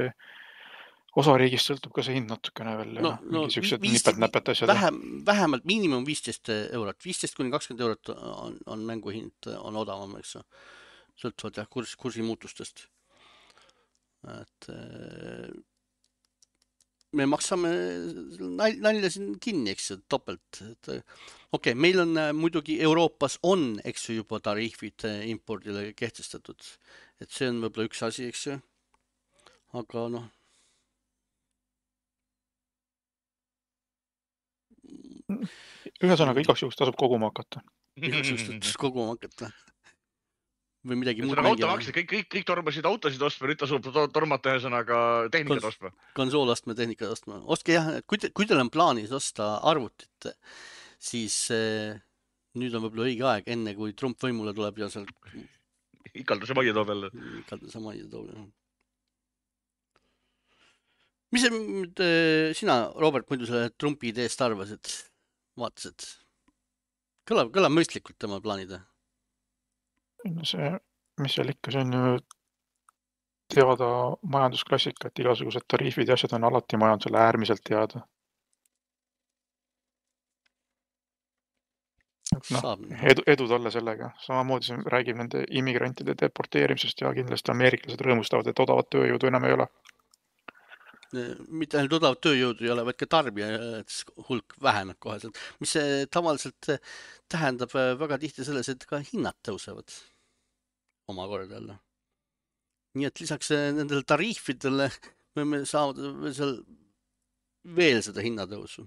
osariigist sõltub ka see hind natukene veel. No, no, nipet-näpet asjad. Vähem, vähemalt miinimum viisteist eurot, viisteist kuni kakskümmend eurot on, on mängu hind, on odavam, eks. Sõltuvad jah kurs, kursi muutustest. Et me maksame nalja siin kinni, eks ju, topelt. Okei, okay, meil on muidugi Euroopas on, eks ju, juba tariifid impordile kehtestatud. Et see on võib-olla üks asi, eks ju. Aga noh. Ühesõnaga igaks juhuks tasub koguma hakata. Igaks juhuks tasub koguma hakata. või midagi muud Ühesõnaga mängima. automaksid, kõik, kõik, kõik tormasid autosid ostma, nüüd tasub tormata ühesõnaga tehnikat Kons- ostma. konsoolastme tehnikat ostma. Ostke jah, kui, te, kui teil on plaanis osta arvutit, siis eh, nüüd on võib-olla õige aeg, enne kui Trump võimule tuleb ja seal Ikalduse majja toob jälle. ikalduse majja toob. Mis see, eh, sina, Robert, muidu selle Trumpi ideest arvasid? Vaatasid? Kõlab, kõlab mõistlikult tema plaanida. See, mis seal ikka, see on ju teada majandusklassika, et igasugused tariifid ja asjad on alati majandusele äärmiselt teada. No, edu, edu talle sellega. Samamoodi see räägib nende immigrantide deporteerimisest ja kindlasti ameeriklased rõõmustavad, et odavat tööjõudu enam ei ole. Mitte ainult odavat tööjõudu ei ole, vaid ka tarbija hulk väheneb koheselt, mis tavaliselt tähendab väga tihti selles, et ka hinnad tõusevad omakorda jälle. Nii et lisaks nendele tariifidele võime saada seal veel seda hinnatõusu.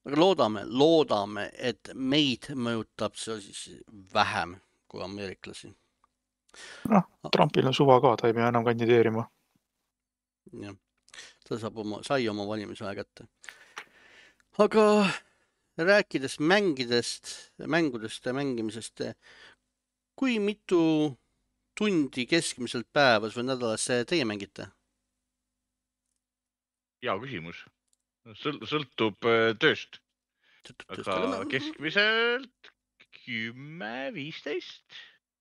Aga loodame, loodame, et meid mõjutab see siis vähem kui ameeriklasi. noh, Trumpil on suva ka, ta ei pea enam kandideerima. jah, ta saab oma, sai oma valimisaja kätte. Aga rääkides mängidest, mängudest ja mängimisest, kui mitu tundi keskmiselt päevas või nädalas teie mängite? Hea küsimus. Sõltub tööst. Aga keskmiselt kümme viisteist.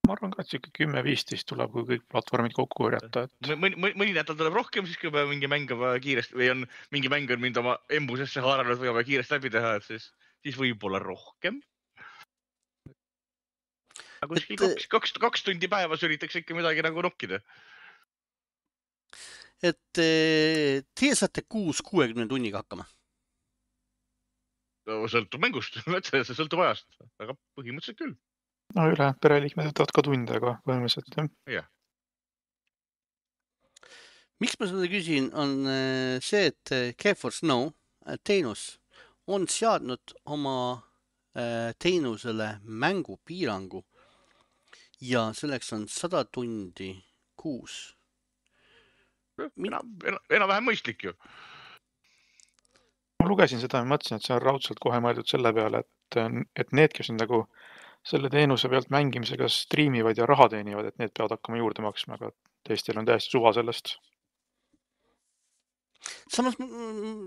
Ma arvan ka, et siuke kümme viisteist tuleb, kui kõik platvormid kokku võrjata. Et... Mõni, mõni nädal tuleb rohkem, siis kui peab mingi mäng kiiresti või on mingi mäng on mind oma embusesse haaranud või oma kiiresti läbi teha, et siis, siis võib-olla rohkem. Aga kuskil kaks, kaks, kaks tundi päevas üritaks ikka midagi nagu nokkida. Et teie saate kuus kuuekümne tunniga hakkama? No, sõltub mängust, see sõltub ajast, aga põhimõtteliselt küll. No üle, pereliikmed võtavad ka tunde, aga põhimõtteliselt jah. Yeah. Miks ma seda küsin, on see, et GeForce Now teenus on seadnud oma teenusele mängupiirangu ja selleks on sada tundi kuus. Enam, enam vähem mõistlik ju. Ma lugesin seda ja mõtlesin, et see on raudselt kohe mõeldud selle peale, et, et need, kes on nagu selle teenuse pealt mängimisega striimivad ja raha teenivad, et need peavad hakkama juurde maksma, aga teistel on täiesti suva sellest. Samas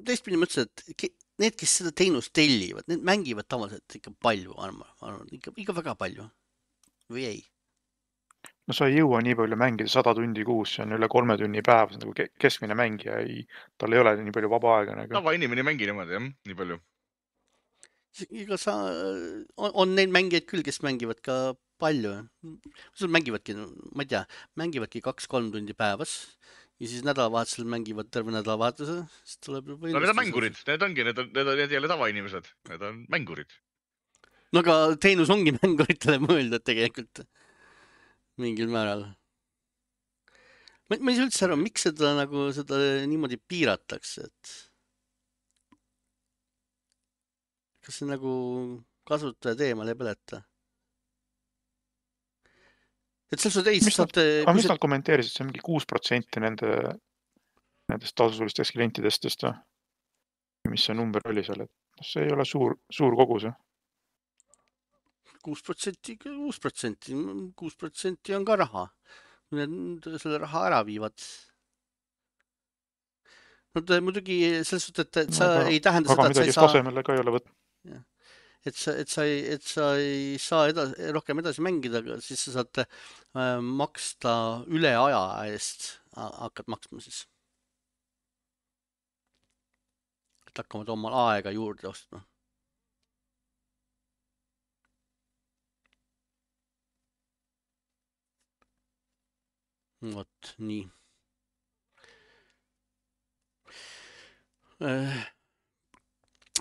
teistpidi mõtlesin, et need, kes seda teenust tellivad, need mängivad tavaliselt ikka palju, arvan, ikka, ikka väga palju või ei? No sa ei jõua nii palju mängida sada tundi kuus, see on üle kolme tunni päev, see on nagu keskmine mängija, ei, tal ei ole nii palju vaba aega. Nagu. Tava inimene ei mängi niimoodi, jah, nii palju. Iga sa, on, on neid mängijaid küll, kes mängivad ka palju. Sul mängivadki, ma ei tea, mängivadki kaks-kolm tundi päevas ja siis nädalavahetusel mängivad terve nädalavahetuse. No need on mängurid, need ongi, need, on, need, on, need ei ole tavainimesed, need on mängurid. No aga teenus ongi mänguritele mõeldud tegelikult. Mingil määral. Ma, ma ei saa üldse aru, miks seda, nagu, seda niimoodi piiratakse, et kas see nagu kasutaja teemal ei põleta? Et selles suhtes ei mis saate... Nad, mis nad kommenteerisid, see on mingi kuus protsenti nende, nendest tasulistest klientidestest, mis see number oli seal, et see ei ole suur, suur kogus. kuus protsenti, kuus protsenti, kuus protsenti on ka raha. Need selle raha ära viivad. No muidugi selles suhtes, et sa no, aga, ei tähenda seda, et sa ei saa... tasemele ka ei ole võt... Et sa, et, sa ei, et sa ei saa edasi, rohkem edasi mängida, siis sa saad äh, maksta üle aja eest, hakkad maksma siis. Et hakkavad omal aega juurde ostma. Vot, nii.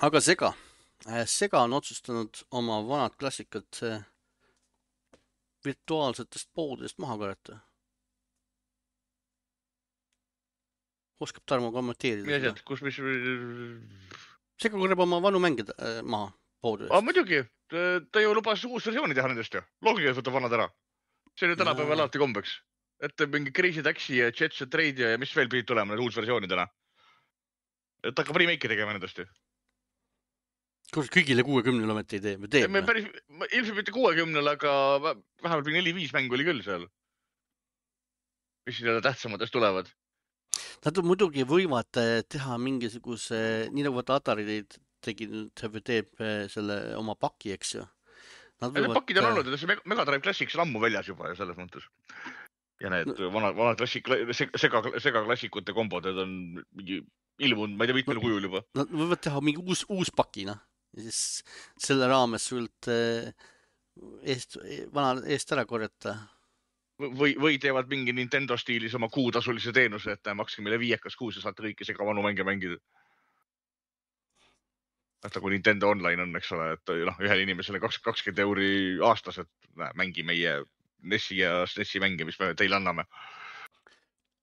Aga Sega. Sega on otsustanud oma vanad klassikad virtuaalsetest poodidest maha korjata. Oskab Tarmo kommenteerida? Mis asjad, kus mis... Sega korjab oma vanu mängida maha poodidest. Ah, muidugi, ta ju lubas uus versiooni teha nendest ju. Loogiga võtab vanad ära. see oli tänapäeval alati kombeks. Et mingi Crazy Taxi ja Jet Set Radio ja mis veel pidid tulema need uus versioonidena. Et hakkab remake'i tegema nendest ju. Kus kõigile kuuekümnele ometi ei tee? Me teeme. Me päris, ilmselt mitte kuuekümnele, aga vähemalt neli viis mängu oli küll seal. Mis siin tähtsamatest tulevad? Nad muidugi võivad teha mingisuguse, nii nagu vaata Atari tegi, teeb selle oma paki, eks ju. Nad võivad... Pakid on olnud, see Mega Drive Classics on ammu väljas juba ja selles mõttes. Ja need no. vanad, vanad klassik, sega, sega klassikute kombod, need on mingi ilmunud, ma ei tea, mitmel kujul juba. Nad võivad teha mingi uus, uus pakina ja siis selle raames sult eest, vana eest ära korjata. Või, või teevad mingi Nintendo stiilis oma kuutasulise teenuse, et makske meile viiekas kuus ja saate kõiki segavanu mänge mängida. Et nagu Nintendo Online on, eks ole, et noh, ühel inimesele kakskümmend euri aastas, et näe, mängi meie Nessi ja Nessi mänge, mis me teile anname.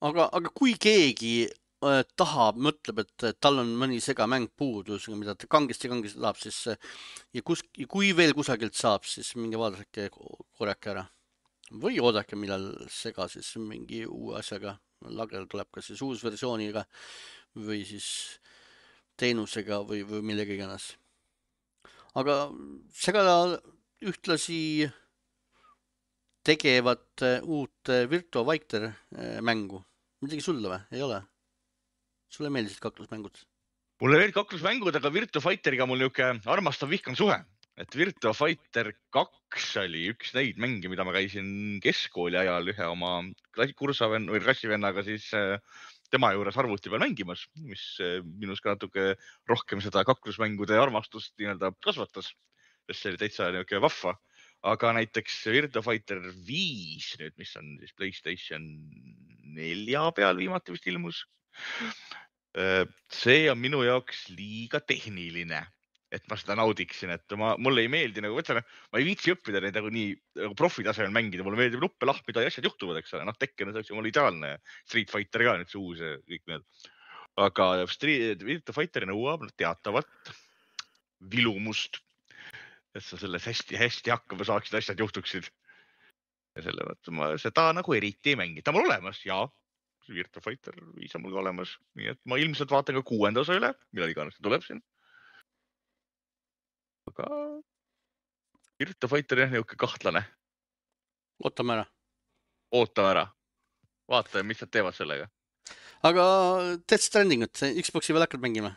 Aga, aga kui keegi äh, tahab, mõtleb, et tal on mõni segamäng puudus, mida ta kangesti kangesti tahab, siis ja, kus, ja kui veel kusagilt saab, siis mingi vaadake korjake ära. Või oodake, millal sega siis mingi uue asjaga lagel tuleb, kas siis uus versiooniga või siis teenusega või, või millega iganes. Aga sega ühtlasi tegevad uut Virtua Fighter mängu. Midagi sulle või? Ei ole? Sulle meeldisid kaklusmängud? Mulle veel kaklusmängud, aga Virtua Fighteriga mul niuke armastav vihkan suhe. Et Virtua Fighter kaks oli üks neid mänge, mida ma käisin keskkooli ajal ühe oma kursaven, või klassivennaga siis tema juures arvuti peal mängimas, mis minus ka natuke rohkem seda kaklusmängude armastust nii-öelda kasvatas, sest see oli täitsa niuke vahva. Aga näiteks Virtua Fighter viis, nüüd, mis on siis PlayStation nelja peal viimati vist ilmus, see on minu jaoks liiga tehniline. Et ma seda naudiksin, et ma, mulle ei meeldi, nagu võtsen, ma ei viitsi õppida neid nagu nii nagu profitasemel mängida, mulle meeldib nuppe lahmida ja asjad juhtuvad, eks ole, noh Tekken on selleks jumala ideaalne, Street Fighter ka nüüd see uus ja kõik need. Aga Virtua Fighter nõuab teatavat vilumust, et sa selles hästi-hästi hakkama saaksid, asjad juhtuksid. Ja selle mõtte ma seda nagu eriti ei mängi. Ta mul olemas, jaa, Virtua Fighter viis on mul olemas, nii et ma ilmselt vaatan ka kuuenda osa üle, millal iganes tuleb siin. Aga Virtua Fighter on niuke kahtlane. Ootame ära. Ootame ära. Vaata, mis nad teevad sellega. Aga Death Strandingut, Xboxi veel hakkad mängima?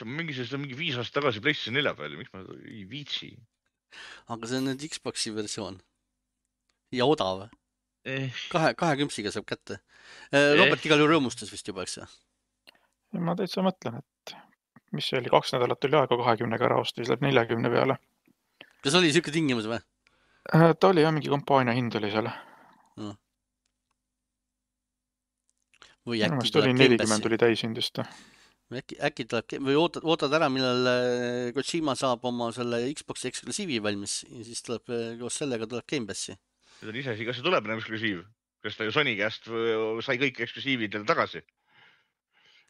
Mingi, see on mingi viis aastat tagasi PlayStation nelja peal, miks ma ei viitsi. Aga see on nüüd Xboxi versioon. Ja odav. Eh. Kahe, kahe kümpsiga saab kätte. Robert eh. igal ju rõõmustas vist juba, eks? Ma täitsa mõtlen, et mis see oli, kaks nädalat oli aega kahekümnega ära osta, siis läheb neljakümne peale. Kas oli siuke tingimus või? Ta oli jah, mingi kampaania hind oli seal. No. Või äkki no, tuleb nelikümmend oli täishindist. Äkki, äkki tuleb, või ootad, ootad ära, millal Kojima saab oma selle Xboxi eksklusiivi valmis ja siis tuleb, koos sellega tuleb Game Passi. See on ise, kas see tuleb eksklusiiv? Kas ta ju Sony käest sai kõik eksklusiivid tagasi?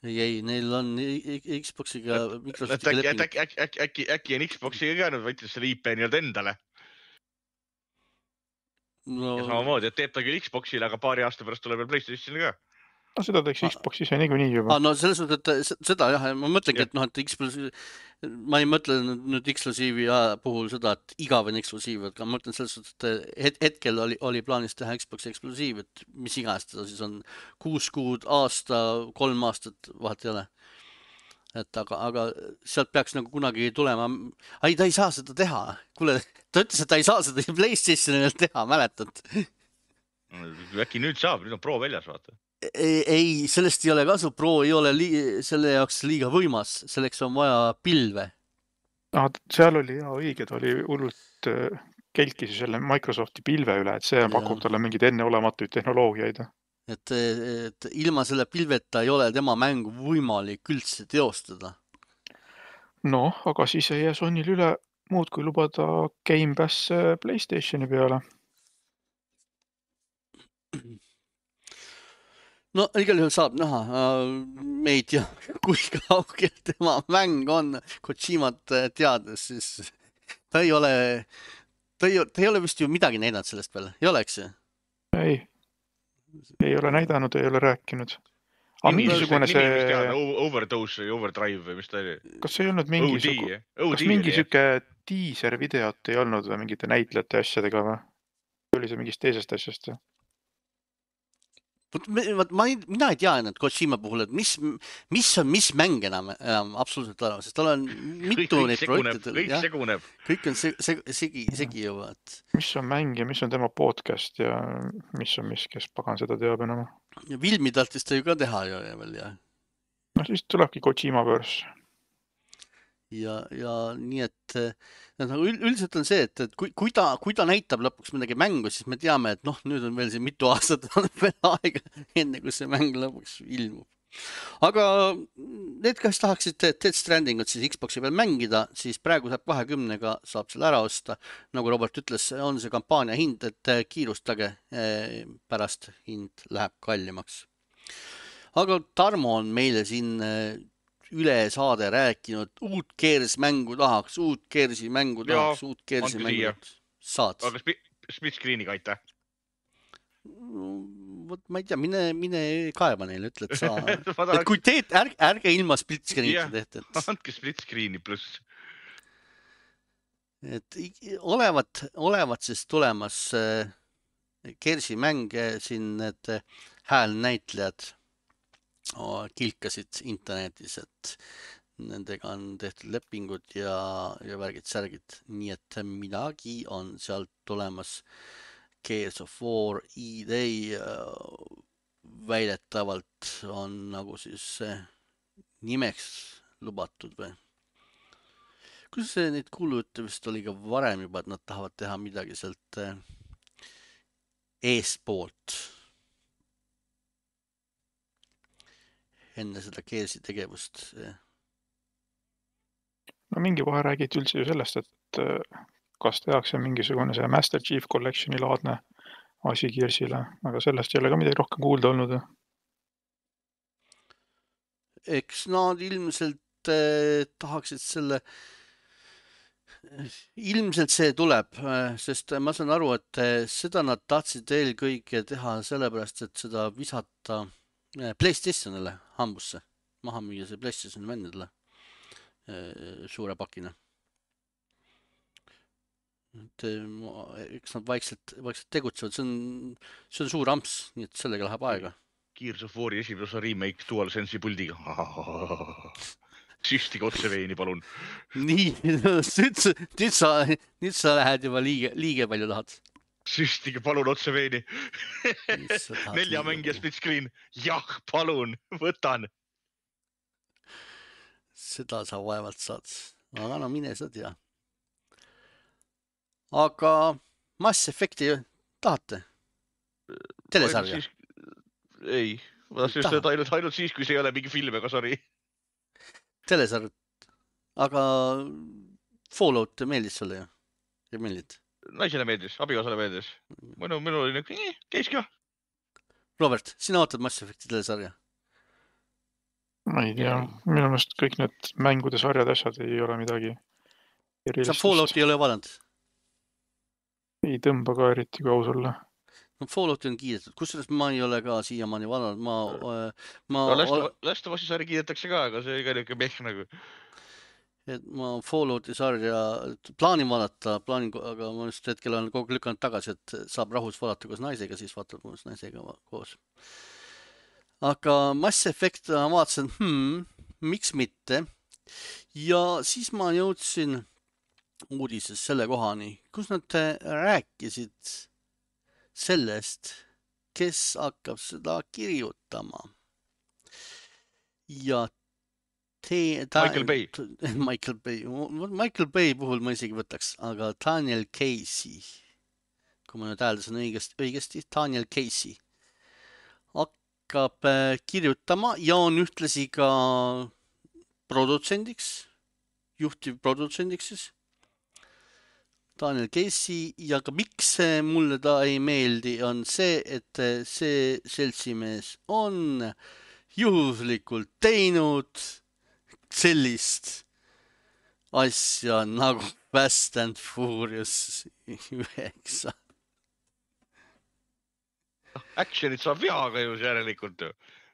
Ei, ei, neil on Xboxiga Microsoftiga leping. Äkki, äkki, äkki, äkki, äkki on Xboxiga ka nüüd võttis selle I P nii-öelda endale. No. Ja samamoodi, et teeb ta küll Xboxile, aga paari aasta pärast tuleb veel PlayStationile ka. No seda teeks Xbox ise niikuinii juba. Ah, no selles mõttes, et seda jah, ma mõtlengi, et noh, et eksklusiiv, ma ei mõtle nüüd eksklusiivi puhul seda, et igavene eksklusiiv, aga ma mõtlen selles mõttes, et hetkel oli, oli plaanis teha Xboxi eksklusiiv, et mis iganes seda siis on kuus kuud, aasta, kolm aastat, vahet ei ole. Et aga, aga sealt peaks nagu kunagi tulema, ai, ta ei saa seda teha. Kuule, ta ütles, et ta ei saa seda PlayStationil teha, mäletad? Äkki nüüd saab, nüüd on Pro väljas, vaata. Ei, ei, sellest ei ole kasu, Pro ei ole li- selle jaoks liiga võimas, selleks on vaja pilve. Ah, seal oli ja õige, ta oli hullult kelkis selle Microsofti pilve üle, et see ja. pakub talle mingid enneolematuid tehnoloogiaid. Et, et ilma selle pilveta ei ole tema mängu võimalik üldse teostada. No, aga siis ei jää Sonyl üle muud kui lubada Game Pass PlayStationi peale. No igal juhul saab näha, me ei tea, kui kaugel tema mäng on, Kojimat teades, siis ta ei ole ta ei, ta ei ole vist ju midagi näidanud sellest veel, ei oleks ju? Ei, ei ole näidanud, ei ole rääkinud. Aga Nimi, mingisugune nimi, mis see... teada, Overdose või Overdrive või mis ta oli? Kas see ei olnud mingi, sugu... kas mingi süke teaser videot ei olnud või mingite näitlejate asjadega või? Oli see mingist teisest asjast? Võt, ma ei, mina ei tea ennast Kojima puhul, et mis, mis on, mis mäng enam, enam absoluutselt olema, sest tal on mitu kõik neid projekte. Kõik ja? seguneb. Kõik on segi, segi, segi, segi juba. Et... Mis on mäng ja mis on tema podcast ja mis on mis, kes pagan seda teab enam? Ja Vilmi tahtis ta ju ka teha ju veel, ja. No siis tulebki Kojima börs. Ja, ja nii, et nagu üldiselt on see, et, et kui, kui, ta, kui ta näitab lõpuks midagi mängu, siis me teame, et noh, nüüd on veel see mitu aastat on veel aega, enne kui see mäng lõpuks ilmub. Aga need, kes tahaksid Death Strandingut siis Xboxi peal mängida, siis praegu saab kahekümnega saab selle ära osta. Nagu Robert ütles, on see kampaania hind, et kiirustage, pärast hind läheb kallimaks. Aga Tarmo on meile siin üle saade rääkinud, uut Gears mängu tahaks, uut Gearsi mängu tahaks, uut Gearsi mängu saad. Aga split screen'iga aitäh. Vot ma ei tea, mine, mine kaeba neile, ütle, et sa... et kui teed, ärge, ärge ilma split screen'ita tehte. Et... andke split screen'i pluss. Et olevat, olevat siis tulemas Gearsi mänge siin need häälnäitlejad kilkasid internetis, et nendega on tehtud lepingud ja, ja värgid-särgid, nii et midagi on sealt tulemas. Gears of War E-Day väidetavalt on nagu siis nimeks lubatud või? Kuidas see neid kuulujutte vist oli ka varem juba, et nad tahavad teha midagi sealt eespoolt enne seda Gearsi tegevust? No mingi vahe räägiti üldse ju sellest, et kas tehakse mingisugune see Master Chief Collectioni laadne asi Gearsile, aga sellest ei ole ka midagi rohkem kuulda olnud. Eks nad ilmselt eh, tahaksid selle, ilmselt see tuleb, sest ma saan aru, et seda nad tahtsid eelkõige teha sellepärast, et seda visata PlayStationile hambusse, maha müüa see PlayStationi vendadele suure pakina. Et eks nad vaikselt, vaikselt tegutsevad, see on, see on suur amps, nii et sellega läheb aega. Gears of War'i esimese osa remake DualSense'i puldiga. Süstige otse veini, palun. Nii, nüüd sa, nüüd sa, nüüd sa lähed juba liige, liige palju tahad. Süstige palun otse veini. Nelja mängija split screen. Jah, palun, võtan. Seda sa vaevalt saad. Aga no mine sa tea. Aga Mass Effecti tahate? Telesarja? Ei, ma tahtsin just öelda ainult, ainult siis, kui see ei ole mingi film, aga sorry. Telesarja. Aga Fallout meeldis sulle ju? Ei meeldid? Naisele meeldis, abikaasale meeldis. Minu, minu oli nüüd, käis ka. Robert, sina ootad Mass Effecti telesarja? Ma ei tea, minu meelest kõik need mängude sarjad asjad ei ole midagi erilist. Sa Fallouti ei ole vaadanud? Ei tõmba ka eriti, kui aus olla. No Fallouti on kiidetud, kusjuures ma ei ole ka siiamaani vaadanud. Ma, ma no, ole... Last of Us'i sarja kiidetakse ka, aga see ei ka niisugune mehk nagu. Et ma Fallouti sarja plaanin vaadata, plaanin, aga ma just hetkel olen kogu lükanud tagasi, et saab rahus vaadata koos naisega, siis vaatab koos naisega koos. Aga Mass Effect ma vaatasin, hmm, miks mitte. Ja siis ma jõudsin uudises selle kohani, kus nad rääkisid sellest, kes hakkab seda kirjutama. Ja te, ta, Michael Bay. Michael Bay. Michael Bay puhul ma isegi võtaks, aga Daniel Casey, kui ma nüüd hääldasin õigesti, õigesti, Daniel Casey hakkab kirjutama ja on ühtlasi ka produtsendiks, juhtiv produtsendiks siis. Daniel Casey ja ka miks mulle ta ei meeldi on see, et see seltsimees on juhuslikult teinud sellist asja nagu Fast and Furious üheksa. Actionit saab veaga ju järelikult.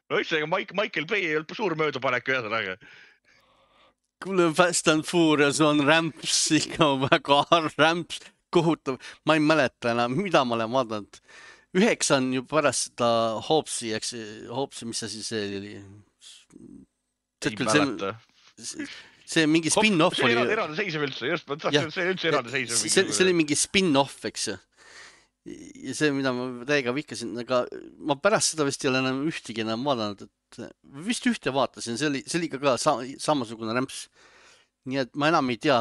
No üldse, Mike, Michael Bay ei olnud suur möödapanek ühesõnaga. Kuule, Fast and Furious on rämps ikka väga rämps, kohutav. Ma ei mäleta enam, mida ma olen vaadanud. Üheksa on ju pärast seda Hobbsi, eks Hobbsi, mis see siis oli? Ei mäleta. See, see mingi spin-off see oli. See eraldi seisev üldse, just, see on üldse eraldi seisev. See, see oli mingi spin-off, eks ju. Ja see, mida ma täiega vihkasin, aga ma pärast seda vist ei ole enam ühtegi enam vaadanud, et vist ühte vaatasin, see oli, see oli ka sa, samasugune rämps. Nii et ma enam ei tea,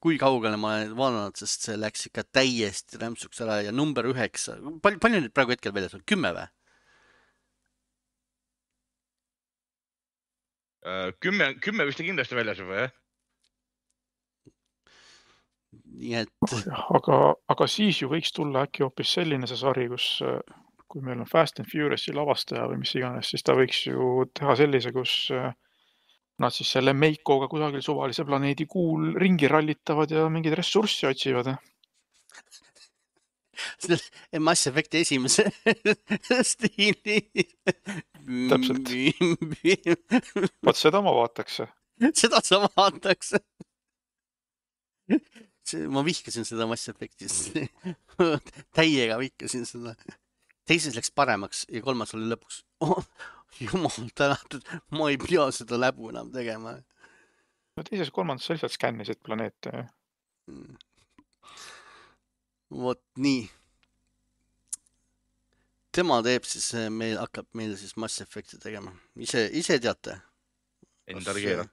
kui kaugele ma olen vaadanud, sest see läks ikka täiesti rämpsuks ära ja number üheksa. Palju, palju nüüd praegu hetkel väljas on? Kümme või? Kümme, kümme vist kindlasti väljas juba, jah? Nii et... aga, aga siis ju võiks tulla äkki hoopis selline see sari, kus kui meil on Fast and Furiousi lavastaja või mis iganes, siis ta võiks ju teha sellise, kus nad siis selle Meikoga kusagil suvalise planeedi kuul ringi rallitavad ja mingeid ressurssi otsivad. Mass Effecti esimese stiili. Täpselt. Vaat seda ma vaataks. Seda sa vaataks. Ma vihkasin seda Mass Effectis. Täiega vihkasin seda. Teises läks paremaks ja kolmas oli lõpuks. Oh, jumal tänatud, ma ei pea seda läbu enam tegema. No teises kolmandas sa lihtsalt skännisid planeete. Vot nii. Tema teeb siis, meil hakkab meil siis Mass Effecti tegema. Ise, ise teate? Endal keera.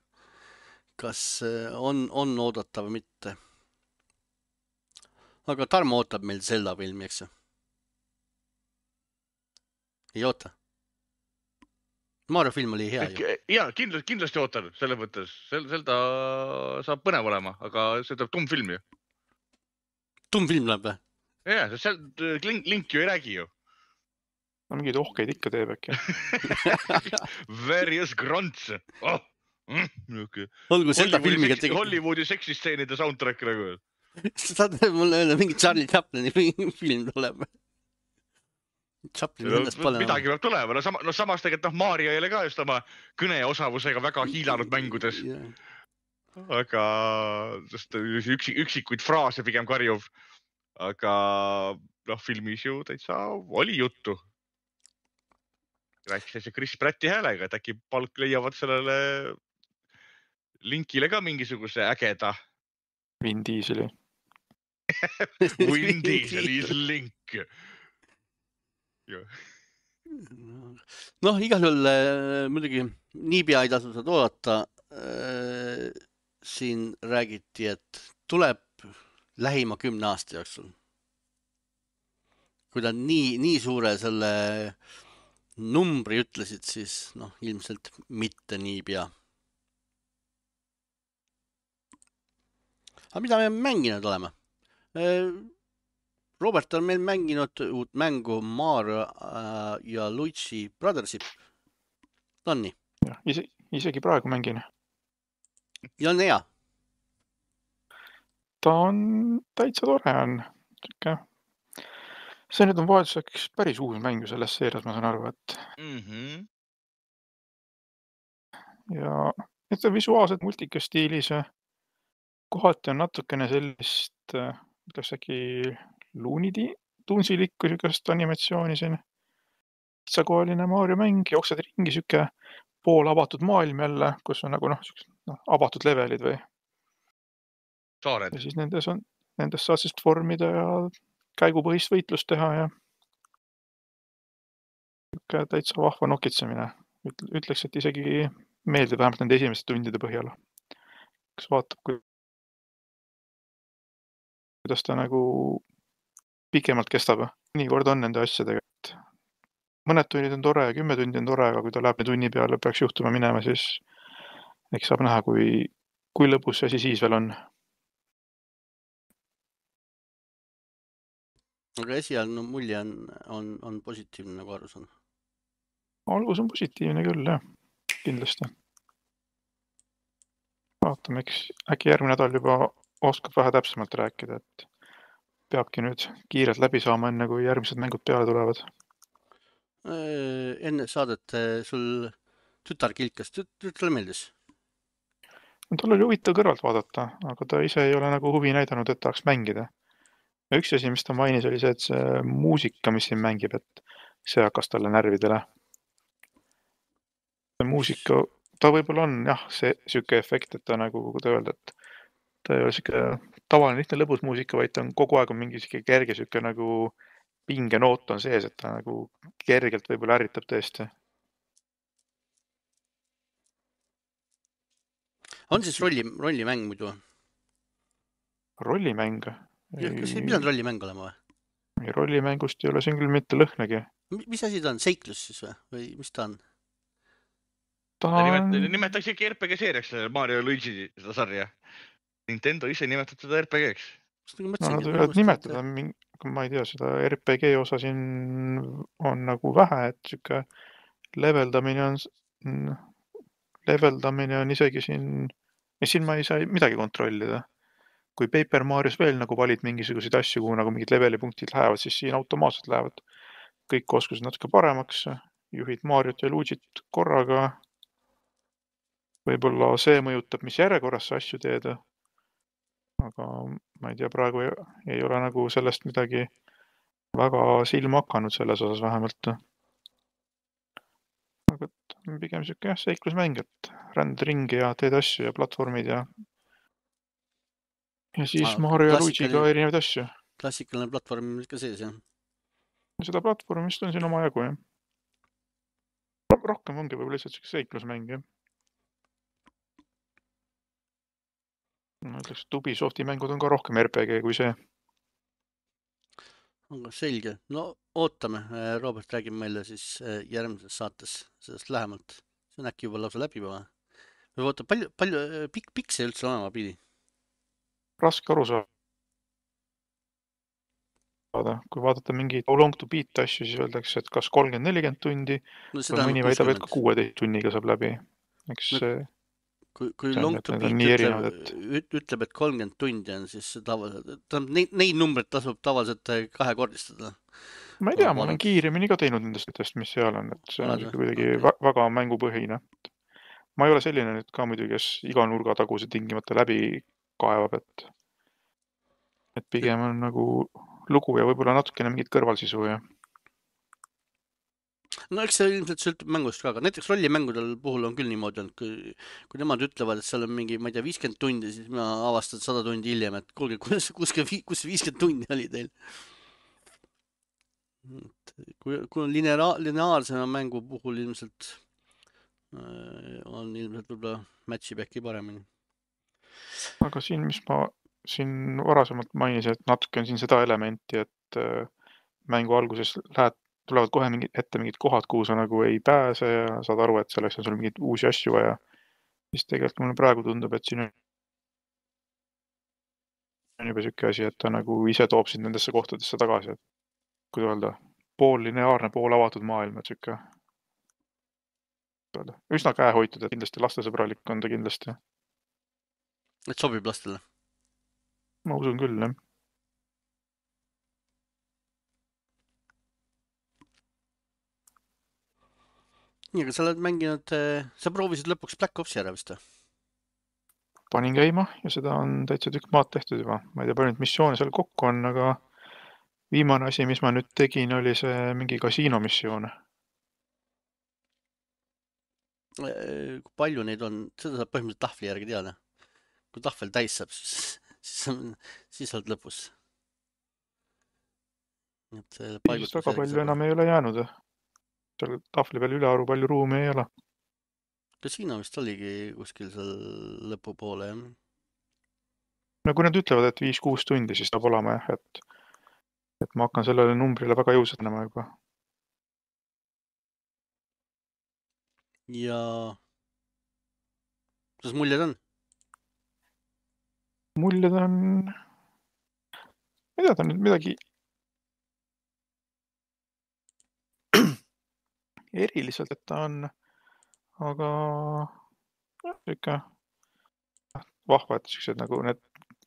Kas on, on oodata või mitte? Aga Tarmo ootab meil Zelda filmi, eks? Ei oota? Mario film oli hea ju. Ja, kindlasti, kindlasti ootan selle mõttes. Zelda saab põnev olema, aga see tuleb tumm film ju. Tumm film läheb või? Ja, seal Link, Link ju ei räägi ju. No mingeid ohkeid ikka teeb äkki. Various grunts. Oh. Mm, okay. Olgu Zelda filmiga tegi... Hollywoodi seksisteenide soundtrack nagu. Saad mulle öelda, mingi Charlie Chaplini film tuleb. Chaplin no, ennast pole. Midagi peab tulema. No, sama, no samas tegelikult no, Mario ei ole ka just oma kõneosavusega väga hiilanud mängudes. Yeah. Aga sest üksik, üksikuid fraase pigem karjuv. Aga noh, filmis ju täitsa oli juttu. Rääkis see Chris Pratti häälega, et äkki palk leiavad sellele Linkile ka mingisuguse ägeda. Vin Dieseli. Vin Diesel is Link. Noh, igal juhul muidugi niipea ei tasu seda oodata. Siin räägiti, et tuleb lähima kümne aasta jooksul. Kui ta nii, nii suure selle numbri ütlesid, siis noh, ilmselt mitte niipea. Aga mida me mänginud oleme? Robert on meil mänginud uut mängu Mario ja Luigi Brothership. Ta on nii? Ja, ise, isegi praegu mängin. Ja on hea? Ta on täitsa tore on. See nüüd on vahetuseks päris uus mängu selles seerias, ma saan aru, et mm-hmm. ja et on visuaalselt multika stiilis. Kohati on natukene sellist, ütleks äkki Looney Tunes'ilikku sükast animatsiooni siin. Kitsakohaline Mario mäng, jooksed ringi süke pool avatud maailm jälle, kus on nagu noh, no, avatud levelid või saared. Ja siis nendes, on, nendes saad siis formida ja käigupõhist võitlust teha ja täitsa vahva nokitsemine. Ütleks, et isegi meeldib vähemalt nende esimeste tundide põhjal. Kas vaatab, kui kuidas ta nagu pikemalt kestab. Nii kord on nende asjadega. Mõned tunnid on tore ja kümme tundi on tore, aga kui ta läheb tunni peale peaks juhtuma minema, siis eks saab näha, kui, kui lõbus see asi siis veel on. Aga esialgne mulje on, on, on positiivne, nagu arus on. Algus on positiivne küll, jah. Kindlasti. Vaatame, eks äkki järgmine nädal juba oskab vähe täpsemalt rääkida, et peabki nüüd kiirelt läbi saama, enne kui järgmised mängud peale tulevad. Enne saadet sul tütar kilkas, tütale meeldis? Tal oli huvitav kõrvalt vaadata, aga ta ise ei ole nagu huvi näidanud, et tahaks mängida. Ja üks asi, mis ta mainis, oli see, et see muusika, mis siin mängib, et see hakkas talle närvidele. See muusika, ta võib-olla on jah, see siuke efekt, et ta nagu, kui ta öelda, et ta ei ole siuke tavaline lihtne lõbus muusika, vaid ta on kogu aeg on mingi siuke kerge siuke nagu pingenoot on sees, et ta nagu kergelt võib-olla ärritab tõesti. On siis rolli, rollimäng muidu? Rollimäng? Kas ei pidanud rollimäng olema või? Rollimängust ei ole siin küll mitte lõhnagi. Mis asi ta on? Seiklus siis või? Või mis ta on? Ta on... Nimetaks ikka R P G seeriaks Mario ja Luigi seda sarja. Nintendo ise nimetab seda R P G-ks. No nad võivad nimetada, ma ei tea, seda R P G osa siin on nagu vähe, et siuke leveldamine on, leveldamine on isegi siin, ja siin ma ei saa midagi kontrollida. Kui Paper Marios veel nagu valid mingisuguseid asju, kuhu nagu mingid levelipunktid lähevad, siis siin automaatselt lähevad kõik oskused natuke paremaks, juhid Mariot ja Luigit korraga. Võib-olla see mõjutab, mis järjekorras sa asju teed. Aga ma ei tea, praegu ei, ei ole nagu sellest midagi väga silma hakanud selles osas vähemalt. Aga pigem siuke jah, seiklusmäng, et ränd ringi ja teed asju ja platvormid ja ja siis ah, Mario ja Luigiga erinevaid asju. Klassikaline platvorm ka sees, jah? Seda platvormist on siin oma jagu, jah. Rohkem ongi võib-olla lihtsalt seiklusmäng, jah. Ma ütleks, et Ubisofti mängud on ka rohkem R P G kui see. Aga selge. No ootame. Robert räägib meile siis järgmises saates sellest lähemalt. See on äkki juba lausa läbi või? Või oota, palju, palju pikk, pikk see üldse olema pidi? Raske aru saada. Kui vaadata mingi long to beat asju, siis öeldakse, et kas kolmkümmend nelikümmend tundi no, või mõni väidab, et ka kuueteist tunniga saab läbi. Eks no, kui, kui long to beat ütleb, et... ütleb, et kolmkümmend tundi on, siis tavaliselt, neid, neid numbreid tasub tavaliselt kahekordistada. Ma ei tea, ma olen kiiremini ka teinud nendest, mis seal on, et see on kuidagi okay. väga mängupõhine. Ma ei ole selline nüüd ka muidugi, kes iga nurga taguse tingimata läbi kaevab, et, et pigem on nagu lugu ja võib-olla natukene mingit kõrvalsisu. Ja. No eks see ilmselt sõltub mängust ka, aga näiteks rollimängudel puhul on küll niimoodi, et kui, kui nemad ütlevad, et seal on mingi, ma ei tea, viiskümmend tundi, siis ma avastan sada tundi hiljem, et kuulge, kus, kus, kus viiskümmend tundi oli teil? Kui, kui on lineaar, lineaarsema mängu puhul ilmselt on ilmselt võib-olla matchib äkki paremini. Aga siin, mis ma siin varasemalt mainisin, et natuke on siin seda elementi, et mängu alguses lähed, tulevad kohe mingid, ette mingid kohad, kuhu sa nagu ei pääse ja saad aru, et selleks on sul mingid uusi asju vaja. Siis tegelikult mulle praegu tundub, et siin on juba siuke asi, et ta nagu ise toob sind nendesse kohtadesse tagasi. Et kui öelda, pool lineaarne, pool avatud maailm, et siuke üsna käehoitud, et kindlasti lastesõbralik on ta kindlasti. Et sobib lastele? Ma usun küll, jah. Nii, aga sa oled mänginud, sa proovisid lõpuks Black Opsi ära vist? Panin käima ja seda on täitsa tükk maad tehtud juba. Ma ei tea, palju nüüd missioone seal kokku on, aga viimane asi, mis ma nüüd tegin, oli see mingi kasiino missioon. Kui palju neid on, seda saab põhimõtteliselt tahvli järgi teada. Kui tahvel täis saab, siis, siis, siis oled lõpus. Et siis väga palju enam ei ole jäänud. Seal tahvli peal ülearu palju ruumi ei ole. Kasiino vist oligi kuskil seal lõpu poole, jah? No kui nad ütlevad, et viis kuus tundi, siis saab olema jah, et, et ma hakkan sellele numbrile väga jõusetnema juba. Ja kuidas muljed on? Muljed on, ma ei tea, ta on nüüd midagi eriliselt, et ta on, aga jah, ikka vahva, et sellised nagu need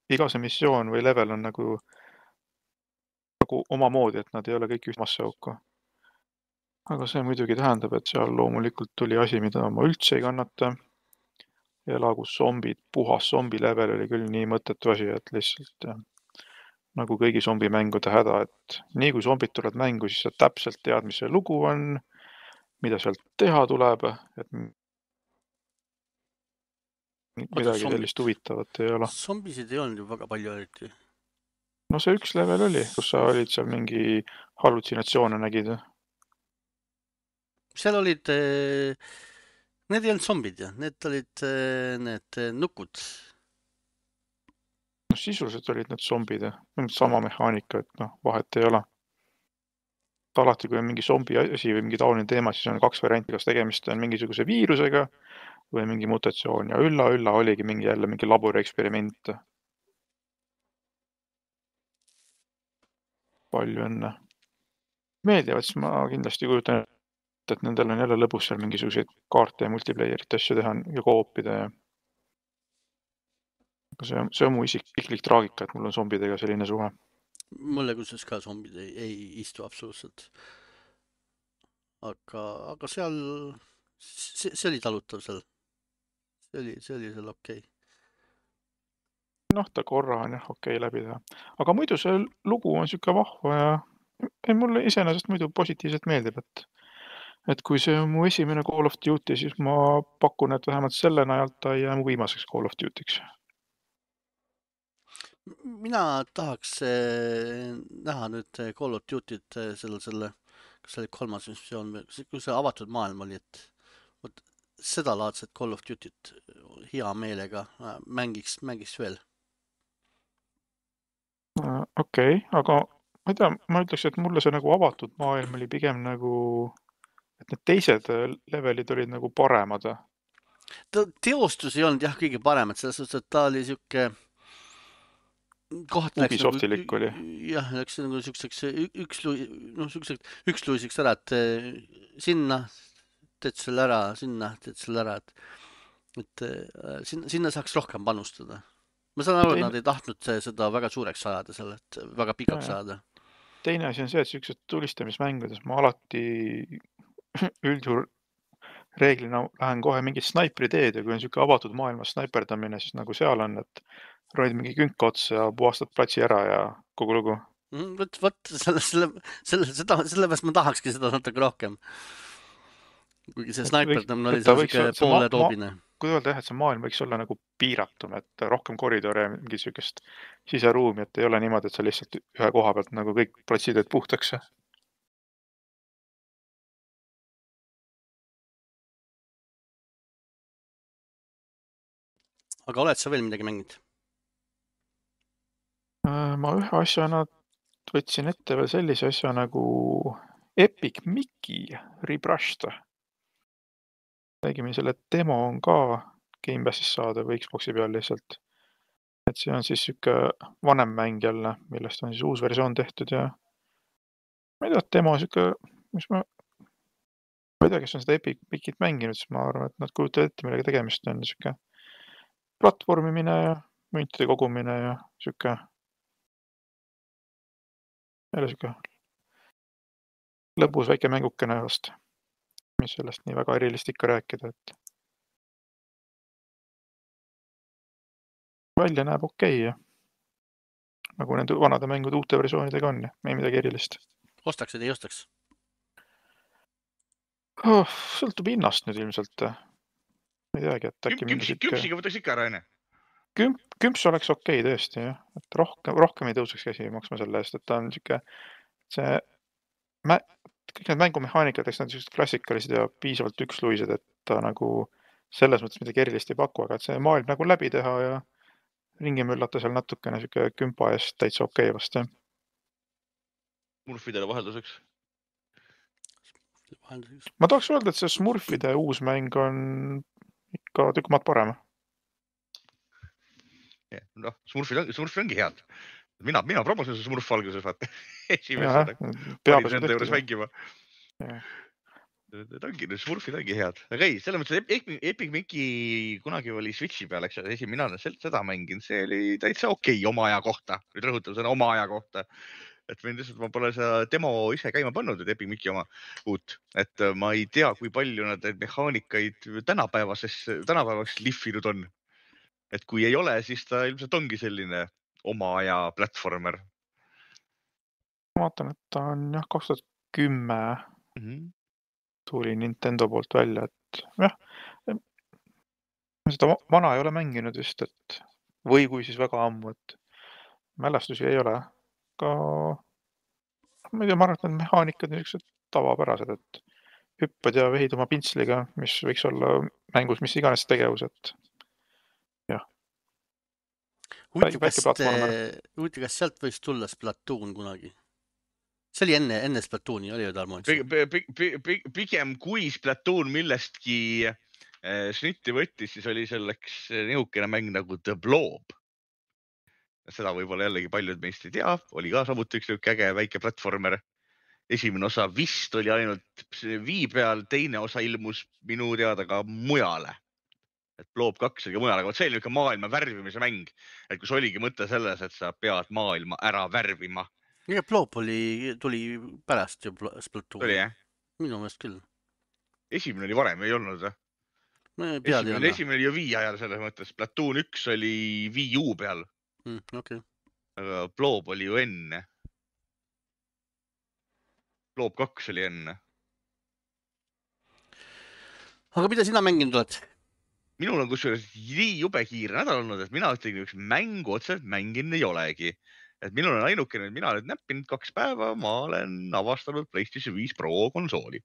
iga see missioon või level on nagu, nagu omamoodi, et nad ei ole kõik ühtmasse auku. Aga see muidugi tähendab, et seal loomulikult tuli asi, mida ma üldse ei kannata. Elagus zombid, puhas zombi level oli küll nii mõttetu asi, et lihtsalt nagu kõigi zombimängude häda, et nii kui zombid tulevad mängu, siis sa täpselt tead, mis see lugu on, mida sealt teha tuleb, et midagi zombid. sellist huvitavat ei ole. Zombisid ei olnud ju väga palju eriti. No see üks level oli, kus sa olid seal mingi hallutsinatsioone nägid. Seal olid, need ei olnud zombid ja need olid need nukud. No sisuliselt olid need zombid ja sama mehaanika, et noh, vahet ei ole. Alati, kui on mingi zombi asi või mingi taoline teema, siis on kaks varianti, kas tegemist on mingisuguse viirusega või mingi mutatsioon ja ülla, ülla oligi mingi jälle mingi labori eksperiment. Palju enne. Meeldivad, siis ma kindlasti kujutan, et nendel on jälle lõbus seal mingisuguseid kaarte ja multiplayerit asju teha ja koopida ja see on, see on mu isiklik traagika, et mul on zombidega selline suhe. Mulle kusjuures ka zombid ei, ei istu absoluutselt. Aga, aga seal, see, see oli talutav seal. See oli, see oli seal okei. Noh, ta korra on jah okei läbi teha. Aga muidu see lugu on siuke vahva ja ei, mulle iseenesest muidu positiivselt meeldib, et et kui see on mu esimene Call of Duty, siis ma pakun, et vähemalt selle najalt ta ei jää mu viimaseks Call of Duty'ks. Mina tahaks näha nüüd Call of Duty't selle, selle, kas see oli kolmas missioon, kui see avatud maailm oli, et võt, seda laadset Call of Duty't hea meelega mängiks, mängiks veel. Okei, okay, aga ma ei tea, ma ütleks, et mulle see nagu avatud maailm oli pigem nagu, et need teised levelid olid nagu paremad. Ta teostus ei olnud jah kõige parem, et selles suhtes, et ta oli siuke koht läks Ubisoftilik nagu, oli. jah, läks nagu siukseks üks, noh, siukseks üksluisiks ära, et sinna teed selle ära, sinna teed selle ära, et, et sinna, sinna saaks rohkem panustada. Ma saan aru, et nad ei tahtnud seda väga suureks ajada selle, et väga pikaks ajada. Teine asi on see, et siuksed tulistamismängudes ma alati üldjuhul reeglina lähen kohe mingi snaipri teed ja kui on siuke avatud maailmas snaiperdamine, siis nagu seal on, et roid mingi künk otsa ja puhastad platsi ära ja kogu lugu. Võt, võt, selle, selle, selle, seda, sellepärast ma tahakski seda natuke rohkem. Kuigi see snaiperdamine oli see siuke poole toobine. Kui öelda jah, et see maailm võiks olla nagu piiratum, et rohkem koridore ja mingi siukest siseruumi, et ei ole niimoodi, et sa lihtsalt ühe koha pealt nagu kõik platsid teed puhtaks. Aga oled sa veel midagi mänginud? Ma ühe asjana võtsin ette veel sellise asja nagu Epic Mickey Rebrushed. Tegime selle demo on ka Game Passis saada või Xboxi peal lihtsalt. Et see on siis siuke vanem mäng jälle, millest on siis uus versioon tehtud ja ma ei tea, demo siuke, mis ma ma ei tea, kes on seda Epic Mickey't mänginud, siis ma arvan, et nad kujutavad ette, millega tegemist on siuke platvormimine ja müntide kogumine ja siuke jälle siuke lõbus väike mängukene vast, mis sellest nii väga erilist ikka rääkida, et välja näeb okei ja nagu nende vanade mängude uute versioonidega on ja ei midagi erilist. Ostaks või ei ostaks? Oh, sõltub hinnast nüüd ilmselt. Ma ei teagi, et äkki mingi siuke... Küpsiga võtaks ikka ära, enne? Kümp, kümps oleks okei tõesti, jah. Et rohkem, rohkem ei tõuseks käsi maksma selle eest, et ta on siuke see mä... kõik need mängumehaanikad, eks nad siuksed klassikalised ja piisavalt üksluised, et ta nagu selles mõttes midagi erilist ei paku, aga et see maailm nagu läbi teha ja ringi möllata seal natukene siuke kümpa eest täitsa okei vast, jah. Smurfidele vahelduseks. Ma tahaks öelda, et see Smurfide uus mäng on ikka tükk maad parem. Noh, Smurfid on, Smurfid ongi head. Mina, mina promosin see Smurf alguses, vaata. Esimesena. Panin nende juures mängima. Need ongi, need Smurfid ongi head. Aga ei, selles mõttes, et Epic, Epic Mickey kunagi oli Switchi peal, eks esim, mina olen seda mängin, see oli täitsa okei okay, oma aja kohta. Nüüd rõhutan seda oma aja kohta. Et võin lihtsalt, ma pole seda demo ise käima pannud, et Epic Mickey oma uut. Et ma ei tea, kui palju nad mehaanikaid tänapäevases, tänapäevaks lihvinud on. Et kui ei ole, siis ta ilmselt ongi selline oma aja platformer. Ma vaatan, et ta on jah, kaks tuhat kümme mm -hmm. tuli Nintendo poolt välja, et jah, seda vana ei ole mänginud vist, et või kui siis väga ammu, et mälestusi ei ole. Ka ma ei tea, ma arvan, et need mehaanikad on niisugused tavapärased, et hüppad ja vehid oma pintsliga, mis võiks olla mängus mis iganes tegevus, et jah. Huvitav, kas, huvitav, kas sealt võiks tulla Splatoon kunagi? See oli enne, enne Splatooni, oli ju Tarmo? Pigem kui Splatoon millestki snitti võttis, siis oli selleks nihukene mäng nagu The Blob. Seda võib-olla jällegi paljud meist ei tea, oli ka samuti üks äge väike platformer. Esimene osa vist oli ainult vii peal, teine osa ilmus minu teada ka mujale. Et Blob kaks oli ka mujale, aga see oli niisugune maailma värvimise mäng. Et kus oligi mõte selles, et sa pead maailma ära värvima. Ja Blob oli, tuli pärast ju Splatoon. Tuli jah? Minu meelest küll. Esimene oli varem, ei olnud või? No, esimene, esimene oli ju vii ajal selles mõttes. Splatoon üks oli Wii U peal. Mm, okay. Aga Blob oli ju enne. Blob kaks oli enne. Aga mida sina mänginud oled? Minul on kusjuures nii jube kiire nädal olnud, et mina ütlegi üks mängu otseselt mängin ei olegi. Et minul on ainukene, et mina olen näppinud kaks päeva, ma olen avastanud PlayStation viis Pro konsooli.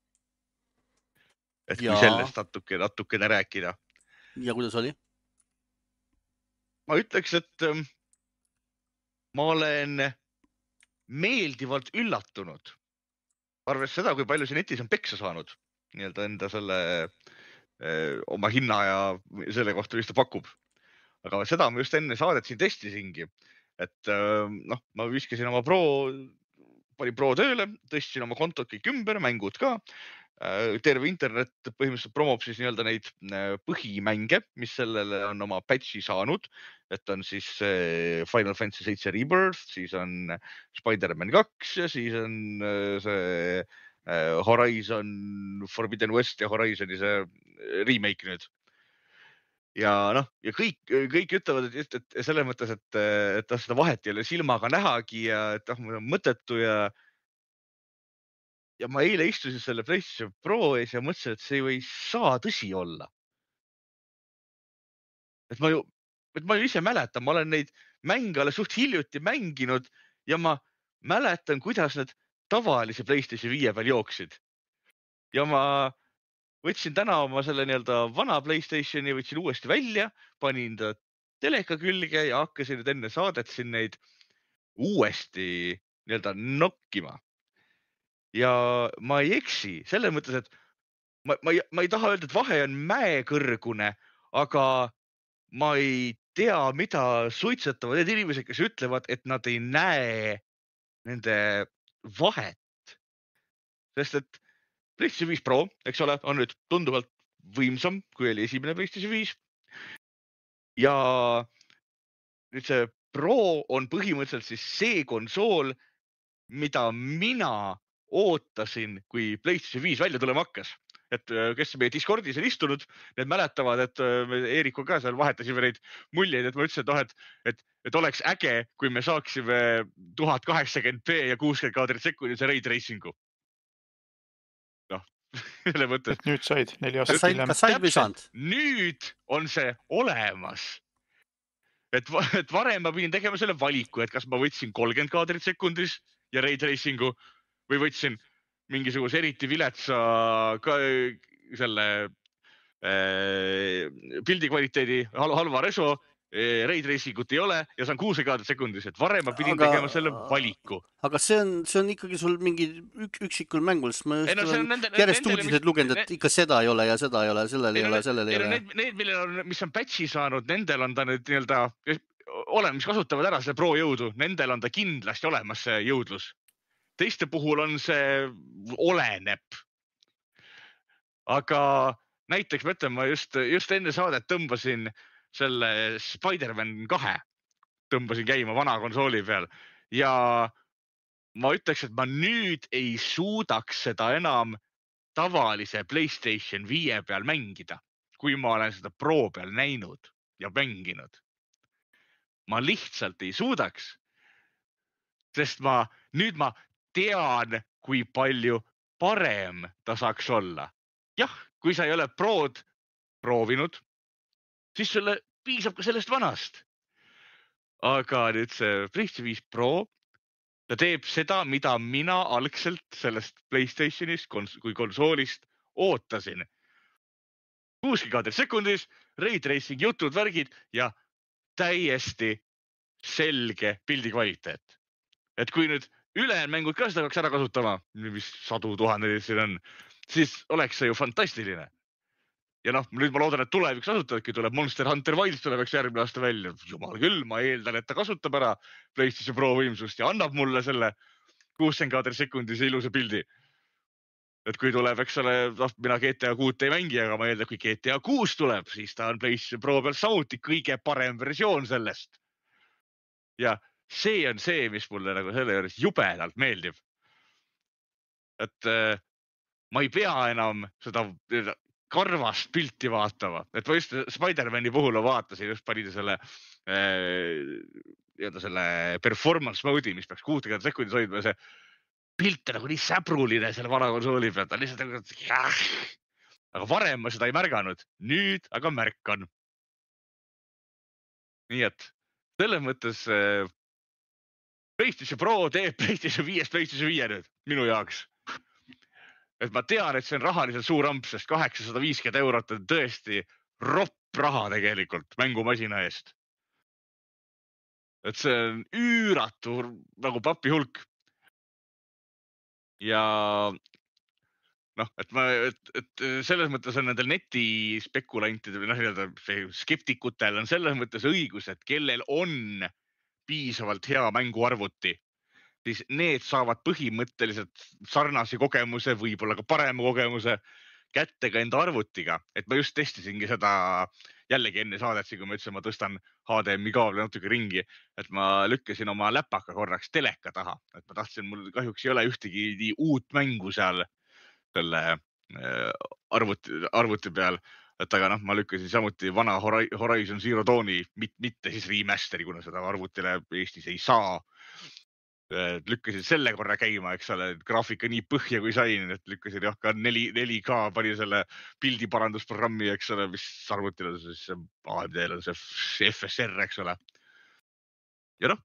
Et kui ja. sellest natuke, natukene rääkida. Ja kuidas oli? Ma ütleks, et ma olen meeldivalt üllatunud. Arves seda, kui palju see netis on peksa saanud. Nii-öelda enda selle öö, oma hinna ja selle kohta, mis ta pakub. Aga seda ma just enne saadet siin testisingi. Et noh, ma viskasin oma pro, pani pro tööle, tõstsin oma kontot kõik ümber, mängud ka. Terve internet põhimõtteliselt promob siis nii-öelda neid põhimänge, mis sellele on oma patchi saanud. Et on siis Final Fantasy seitse Rebirth, siis on Spider-Man kaks ja siis on see Horizon Forbidden West ja Horizoni see remake nüüd. Ja noh, ja kõik, kõik ütlevad, et, et selles mõttes, et, et seda vahet ei ole silmaga nähagi ja et ah, mul on mõttetu ja ja ma eile istusin selle PlayStation Pro ees ja mõtlesin, et see ei või saa tõsi olla. Et ma ju, et ma ju ise mäletan, ma olen neid mänge alles suht hiljuti mänginud ja ma mäletan, kuidas need tavalise PlayStation viie peal jooksid. Ja ma võtsin täna oma selle nii-öelda vana PlayStationi, võtsin uuesti välja, panin ta teleka külge ja hakkasin nüüd enne saadet siin neid uuesti nii-öelda nokkima. Ja ma ei eksi, selles mõttes, et ma, ma, ei, ma ei taha öelda, et vahe on mäekõrgune, aga ma ei tea, mida suitsetavad need inimesed, kes ütlevad, et nad ei näe nende vahet. Sest et PlayStation viis Pro, eks ole, on nüüd tunduvalt võimsam, kui oli esimene PlayStation viis. Ja nüüd see Pro on põhimõtteliselt siis see konsool, mida mina ootasin, kui PlayStation viis välja tulema hakkas. Et kes meie Discordis on istunud, need mäletavad, et me Eeriko ka seal vahetasime neid muljeid, et ma ütlesin, et, oh, et, et, et oleks äge, kui me saaksime tuhat kaheksakümmend p ja kuuskümmend kaadrit sekundise raid racingu. Noh, selle mõttes. Et nüüd said neli aastat hiljem. Kas said või saanud? Nüüd on see olemas. Et, et varem ma pidin tegema selle valiku, et kas ma võtsin kolmkümmend kaadrit sekundis ja raid racingu või võtsin mingisuguse eriti viletsa ka, selle äh, pildi kvaliteedi halva reso, raid racingut ei ole ja saan kuus kaadrit sekundis, et varem ma pidin aga, tegema selle valiku. Aga see on, see on ikkagi sul mingi ük, üksikul mängul, sest ma just no, olen nende, järjest nendele, uudised lugenud, et ikka seda ei ole ja seda ei ole, sellel ei ole, sellel ei ole. Need, need, millel on, mis on patchi saanud, nendel on ta nüüd nii-öelda, olen, mis kasutavad ära selle pro jõudu, nendel on ta kindlasti olemas see jõudlus. Teiste puhul on see oleneb. aga näiteks ma ütlen, ma just, just enne saadet tõmbasin selle Spider-Man kahe, tõmbasin käima vana konsooli peal ja ma ütleks, et ma nüüd ei suudaks seda enam tavalise PlayStation viie peal mängida, kui ma olen seda Pro peal näinud ja mänginud. Ma lihtsalt ei suudaks, sest ma nüüd ma tean, kui palju parem ta saaks olla. Jah, kui sa ei ole Prod proovinud, siis sulle piisab ka sellest vanast. Aga nüüd see PlayStation viis Pro, ta teeb seda, mida mina algselt sellest PlayStationist kui konsoolist ootasin. kuuskümmend kaadrit sekundis, ray tracing jutud, värgid ja täiesti selge pildi kvaliteet. Et kui nüüd ülejäänud mängud ka seda peaks ära kasutama, mis sadu tuhandeid siin on, siis oleks see ju fantastiline. Ja noh, nüüd ma loodan, et tuleviks kasutavadki, tuleb Monster Hunter Wilds tulevaks järgmine aasta välja. Jumal küll, ma eeldan, et ta kasutab ära PlayStation Pro võimsust ja annab mulle selle kuuskümmend kaadrit sekundis ilusa pildi. Et kui tuleb, eks ole, mina G T A kuut ei mängi, aga ma eeldan, kui G T A kuus tuleb, siis ta on PlayStation Pro peal samuti kõige parem versioon sellest. Ja see on see, mis mulle nagu selle juures jubedalt meeldib. Et äh, ma ei pea enam seda karvast pilti vaatama. Et ma just Spider-Mani puhul vaatasin, just panid selle, äh, selle performance mode'i, mis peaks kuuskümmend sekundis hoidma. See pilt on nagu nii säbruline selle vana konsooli pealt. Lihtsalt nagu, jah. Aga varem ma seda ei märganud. Nüüd aga märkan. Nii et selles mõttes äh, PlayStation Pro teeb PlayStation viis PlayStation viis nüüd minu jaoks. Et ma tean, et see on rahaliselt suur amp, sest kaheksasada viiskümmend eurot on tõesti ropp raha tegelikult mängumasina eest. Et see on üüratu nagu papi hulk. Ja noh, et, ma, et, et selles mõttes on nendel netispekulantidel, noh, skeptikutel on selles mõttes õigus, et kellel on piisavalt hea mänguarvuti, siis need saavad põhimõtteliselt sarnase kogemuse, võib-olla ka parema kogemuse kätte ka enda arvutiga. Et ma just testisingi seda jällegi enne saadet, kui ma ütlesin, ma tõstan H D M I kaabli natuke ringi, et ma lükkasin oma läpaka korraks teleka taha. Et ma tahtsin, mul kahjuks ei ole ühtegi nii uut mängu seal selle arvuti, arvuti peal. Et aga noh, ma lükkasin samuti vana Horizon Zero Dawni, mitte siis remasteri, kuna seda arvutile Eestis ei saa. Lükkasin selle korra käima, eks ole, graafika nii põhja kui sain, et lükkasin jah ka neli K pani selle pildiparandusprogrammi, eks ole, mis arvutile siis A M D-l on see F S R, eks ole. Ja noh,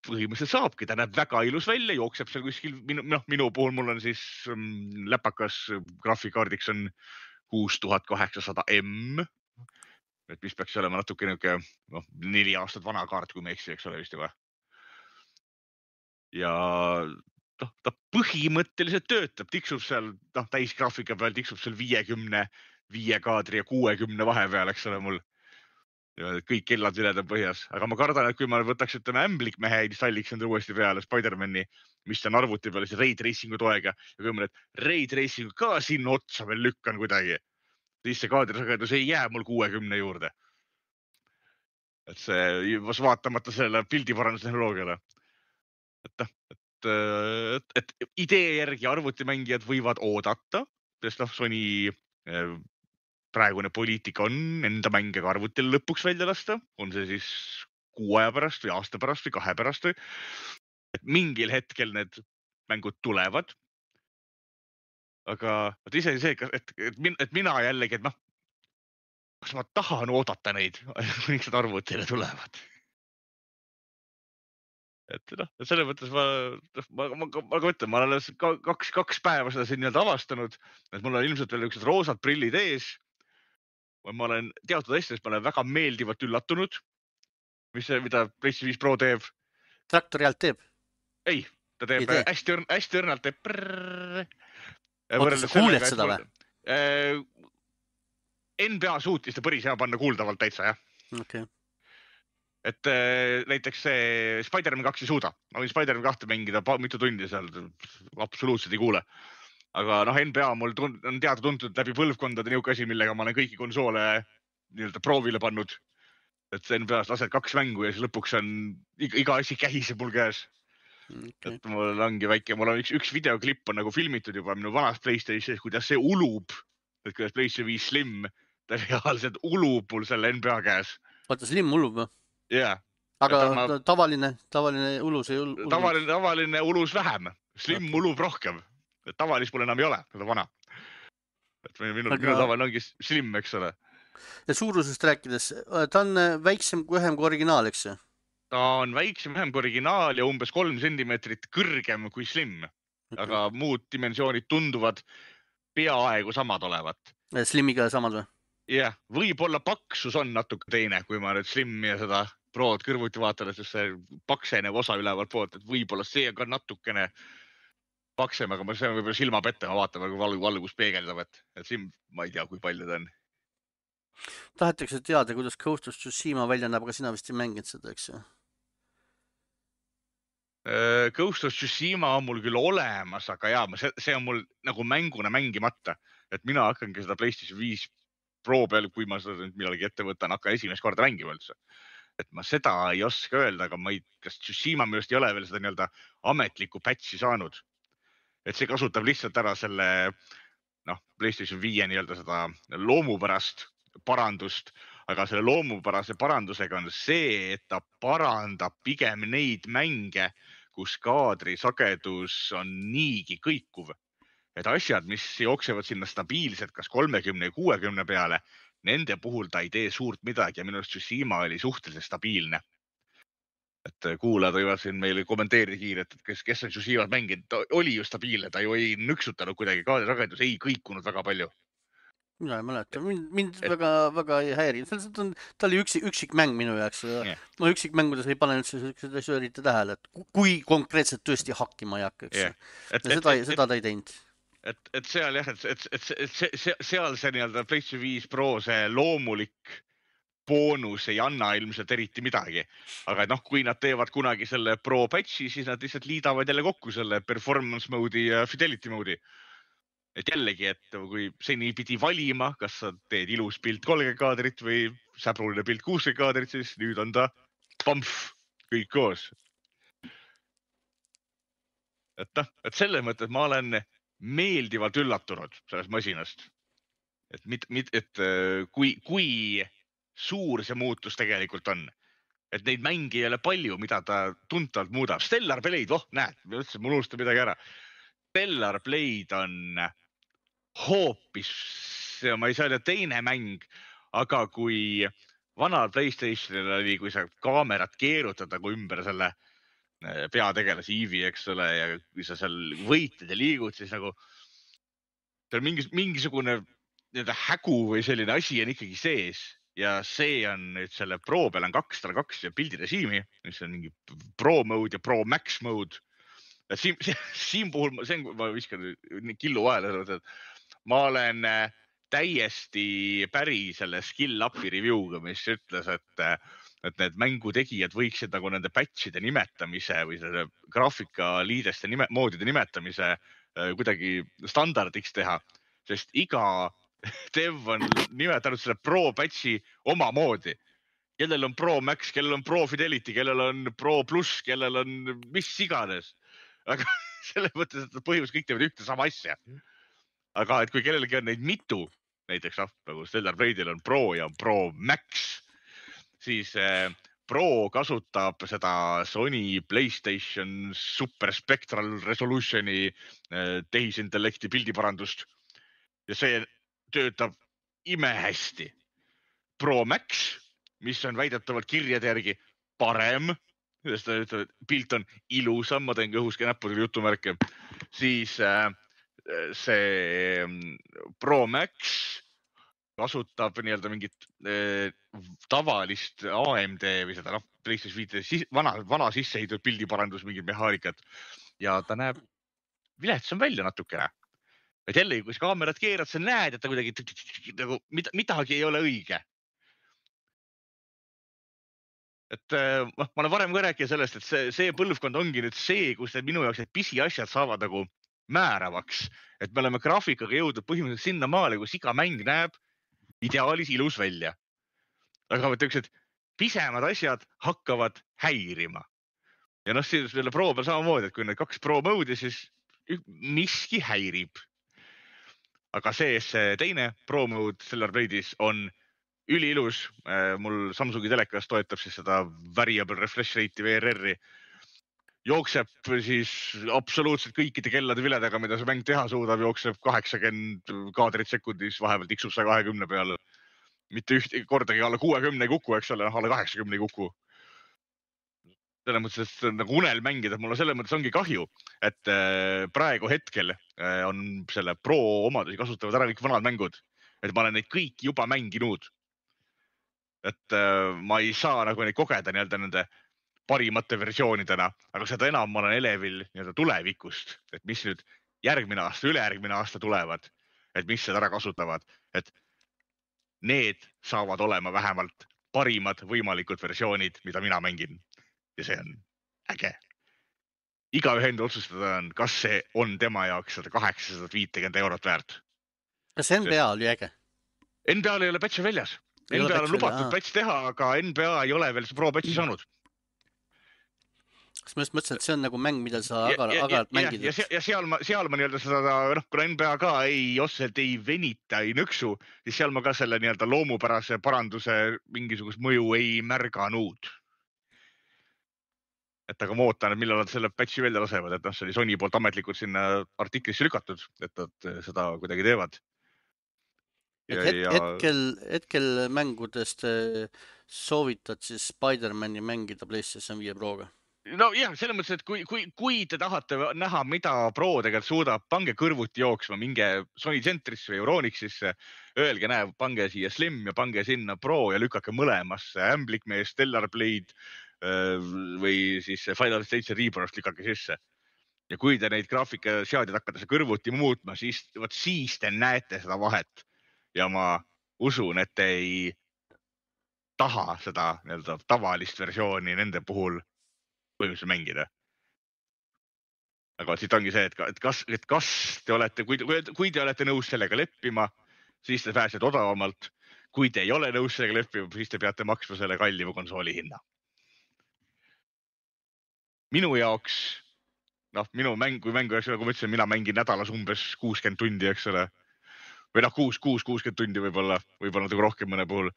põhimõtteliselt saabki, ta näeb väga ilus välja, jookseb seal kuskil, noh, minu puhul mul on siis läpakas graafikaardiks on kuus tuhat kaheksasada M, et mis peaks olema natuke niuke, noh, neli aastat vana kaart, kui me eksi, eks ole, vist juba. Ja noh, ta põhimõtteliselt töötab, tiksub seal, noh, täisgraafika peal tiksub seal viiekümne, viie kaadri ja kuuekümne vahepeal, eks ole mul. Ja kõik kellad viled on põhjas, aga ma kardan, et kui ma võtaks, ütleme, ämblikmehe installiks enda uuesti peale Spider-Mani, mis on arvuti peale, siis ray tracingu toega ja kui ma need ray tracingu ka sinna otsa veel lükkan kuidagi, siis see kaadrisagedus ei jää mul kuuekümne juurde. Et see, vaatamata selle pildiparandustehnoloogiale. Et, et, et, et idee järgi arvutimängijad võivad oodata, sest noh, Sony praegune poliitika on enda mänge ka arvutil lõpuks välja lasta, on see siis kuu aja pärast või aasta pärast või kahe pärast või. Et mingil hetkel need mängud tulevad. Aga et ise see, et, et, et mina jällegi, et noh, kas ma tahan oodata neid, kuniks nad arvutile tulevad. Et noh, selle mõttes ma, ma, ma, ma, ma ütlen, ma olen kaks, kaks päeva seda siin nii-öelda avastanud, et mul on ilmselt veel üks roosad prillid ees. Ma olen teatud asjades, ma olen väga meeldivalt üllatunud, mis see, mida PlayStation viis Pro teeb. Traktori alt teeb? Ei, ta teeb ei hästi, hästi õrnalt teeb prrrr. Oota, sa kuuled seda või? N B A suutis ta päris hea panna kuuldavalt täitsa, jah. Okay. Et äh, näiteks see Spider-Man kaks ei suuda. Ma võin Spider-Man kahte mängida mitu tundi seal, absoluutselt ei kuule. aga noh, N B A mul tund, on teada tuntud läbi põlvkondade niuke asi, millega ma olen kõiki konsoole nii-öelda proovile pannud. Et N B A-s lased kaks mängu ja siis lõpuks on iga, iga asi kähiseb mul käes. Okay. Et mul ongi väike, mul on üks, üks videoklipp on nagu filmitud juba minu vanas PlayStationis, kuidas see ulub, et kuidas PlayStation viis Slim, ta reaalselt ulub mul selle N B A käes. Vaata, Slim ulub või? Jaa. Aga ma... tavaline, tavaline ulus ei ul... Tavaline, tavaline ulus vähem. Slim okay. ulub rohkem. Tavalis mul enam ei ole, seda vana. Et minu, Aga... minu tavaline ongi Slim, eks ole. Ja suurusest rääkides, ta on väiksem kui ühem kui originaal, eks see? Ta on väiksem ühem kui originaal ja umbes kolm sentimeetrit kõrgem kui Slim. Okay. Aga muud dimensioonid tunduvad peaaegu samad olevat. Slimiga samad või? Jah, võib-olla paksus on natuke teine, kui ma nüüd Slim ja seda Prood kõrvuti vaatan, et see paksenev osa ülevalt poolt, et võib-olla see on ka natukene paksem, aga see on võib-olla silma pette, ma vaatan, kui valgu valgus peegeldab, et, et Slim, ma ei tea, kui palju ta on. Tahetakse teada, kuidas Ghost of Tsushima välja näeb, aga sina vist ei mänginud seda, eks ju? Ghost of Tsushima on mul küll olemas, aga jaa, see, see on mul nagu mänguna mängimata, et mina hakkangi seda PlayStation viis Pro peal, kui ma seda millalgi ette võtan, hakkan esimest korda mängima üldse. Et ma seda ei oska öelda, aga ma ei, kas Tsushima millest ei ole veel seda nii-öelda ametlikku patchi saanud. Et see kasutab lihtsalt ära selle noh, PlayStation viie nii-öelda seda loomupärast parandust, aga selle loomupärase parandusega on see, et ta parandab pigem neid mänge, kus kaadri sagedus on niigi kõikuv. Et asjad, mis jooksevad sinna stabiilselt, kas kolmekümne ja kuuekümne peale, nende puhul ta ei tee suurt midagi ja minu arust Tsushima oli suhteliselt stabiilne. Et kuulajad võivad siin meile kommenteerida kiiret, et kes, kes on Tsushimat mänginud, ta oli ju stabiilne, ta ju ei nüksutanud kuidagi, kaadrisagedus ei kõikunud väga palju. Mina ei mäleta, mind, mind et... väga, väga ei häiri. On, ta oli üksik, üksik mäng minu jaoks. Yeah. Ma üksik mängudes ei pane üldse seda söörite tähele, et kui konkreetselt tõesti hakkima ei hakka, eks. Yeah. Et, ja seda, et, seda ta ei teinud. Et, et seal jah, et, et, et, et see, see, seal see nii-öelda PlayStation viis Pro see loomulik boonus ei anna ilmselt eriti midagi. Aga noh, kui nad teevad kunagi selle Pro patchi, siis nad lihtsalt liidavad jälle kokku selle performance mode'i ja fidelity mode'i. Et jällegi, et kui seni pidi valima, kas sa teed ilus pilt kolmkümmend kaadrit või säbruline pilt kuuskümmend kaadrit, siis nüüd on ta pamf, kõik koos. Et noh, et selle mõttes ma olen meeldivalt üllatunud sellest masinast. Et, mit, mit, et kui, kui suur see muutus tegelikult on. Et neid mängi ei ole palju, mida ta tuntavalt muudab. Stellar Blade, oh näed, ma ütlesin, mul unustab midagi ära. Stellar Blade on hoopis, ma ei saa öelda teine mäng, aga kui vanal PlayStationil oli, kui sa kaamerat keerutad nagu ümber selle peategelase Eevee, eks ole, ja kui sa seal võitled ja liigud, siis nagu seal mingis, mingisugune hägu või selline asi on ikkagi sees ja see on nüüd selle Pro peal on kaks null kaks ja pildirežiimi, mis on mingi Pro mode ja Pro Max mode. Siin, siin puhul, see on, ma viskan killu vahele, et ma olen täiesti päri selle skill up'i review'ga, mis ütles, et et need mängutegijad võiksid nagu nende patchide nimetamise või selle graafikaliideste nime, moodide nimetamise kuidagi standardiks teha, sest iga dev on nimetanud selle Pro patchi oma moodi. Kellel on Pro Max, kellel on Pro Fidelity, kellel on Pro Plus, kellel on mis iganes. Aga selle mõttes, et põhimõtteliselt kõik teevad ühte sama asja. Aga et kui kellelgi on neid mitu, näiteks noh, nagu Stellar Blade'il on Pro ja on Pro Max, siis Pro kasutab seda Sony PlayStation Super Spectral Resolutioni tehisintellekti pildiparandust ja see töötab imehästi. Pro Max, mis on väidetavalt kirjade järgi parem, sest ta ütleb, et pilt on ilusam, ma teen õhuske näppudega jutumärke, siis see Pro Max kasutab nii-öelda mingit eh, tavalist A M D või seda noh, PlayStation viis vana, vana sissehitud pildiparandus mingid mehaanikat ja ta näeb viletsam välja natukene. Et jällegi, kui sa kaamerat keerad, sa näed, et ta kuidagi nagu midagi ei ole õige. Et ma olen varem ka rääkinud sellest, et see, see põlvkond ongi nüüd see, kus need minu jaoks need pisiasjad saavad nagu määravaks, et me oleme graafikaga jõudnud põhimõtteliselt sinna maale, kus iga mäng näeb ideaalis ilus välja. Aga tõksed pisemad asjad hakkavad häirima. Ja noh, selle pro peal samamoodi, et kui need kaks pro mode'i, siis miski häirib. Aga see, see teine pro mode Stellar Blade'is on üliilus. Mul Samsungi telekas toetab siis seda variable refresh rate'i V R R-i. Jookseb siis absoluutselt kõikide kellade viledega, mida see mäng teha suudab, jookseb kaheksakümmend kaadrit sekundis, vahepeal tiksub saja kahekümne peale. Mitte üht kordagi alla kuuekümne ei kuku, eks ole, alla kaheksakümne ei kuku. Selles mõttes, et see on nagu unel mängida, mulle selles mõttes ongi kahju, et praegu hetkel on selle pro omadusi kasutavad ära kõik vanad mängud. Et ma olen neid kõik juba mänginud. Et ma ei saa nagu neid kogeda nii-öelda nende parimate versioonidena, aga seda enam ma olen elevil nii-öelda tulevikust, et mis nüüd järgmine aasta, ülejärgmine aasta tulevad, et mis seda ära kasutavad, et need saavad olema vähemalt parimad võimalikud versioonid, mida mina mängin. Ja see on äge. Igaühe enda otsustada on, kas see on tema jaoks sada kaheksasada viiskümmend eurot väärt. Kas N B A oli äge? N B A-l ei ole patchi väljas. N B A-l on lubatud patch teha, aga N B A ei ole veel see pro patchi saanud. Kas ma just mõtlesin, et see on nagu mäng, mida sa agaralt mängid? Ja, ja seal ma, seal ma nii-öelda seda, noh, kuna N B A ka ei otseselt ei venita, ei nõksu, siis seal ma ka selle nii-öelda loomupärase paranduse mingisugust mõju ei märganud. Et aga ma ootan, et millal nad selle patchi välja lasevad, et noh, see oli Sony poolt ametlikult sinna artiklisse lükatud, et nad seda kuidagi teevad. Ja, et ja... hetkel, hetkel mängudest soovitad siis Spider-Mani mängida PlayStation viie Proga? No jah, selles mõttes, et kui, kui, kui te tahate näha, mida Pro tegelikult suudab, pange kõrvuti jooksma, minge Sony Centrisse või Euronixisse, öelge, näe, pange siia Slim ja pange sinna Pro ja lükake mõlemasse Amblikmees, Stellar Blade või siis Final seitse Reborn'ist lükake sisse. Ja kui te neid graafikaseadjad hakkate kõrvuti muutma, siis, võt, siis te näete seda vahet. Ja ma usun, et te ei taha seda nii-öelda tavalist versiooni nende puhul põhimõtteliselt mängida. Aga siit ongi see, et, et, kas, et kas te olete, kui, kui te olete nõus sellega leppima, siis te pääsete odavamalt. Kui te ei ole nõus sellega leppima, siis te peate maksma selle kallima konsooli hinna. Minu jaoks, noh, minu mäng, kui mängu jaoks, nagu ma ütlesin, mina mängin nädalas umbes kuuskümmend tundi, eks ole. Või noh, kuus, kuus, kuuskümmend tundi võib-olla, võib-olla natuke rohkem mõne puhul.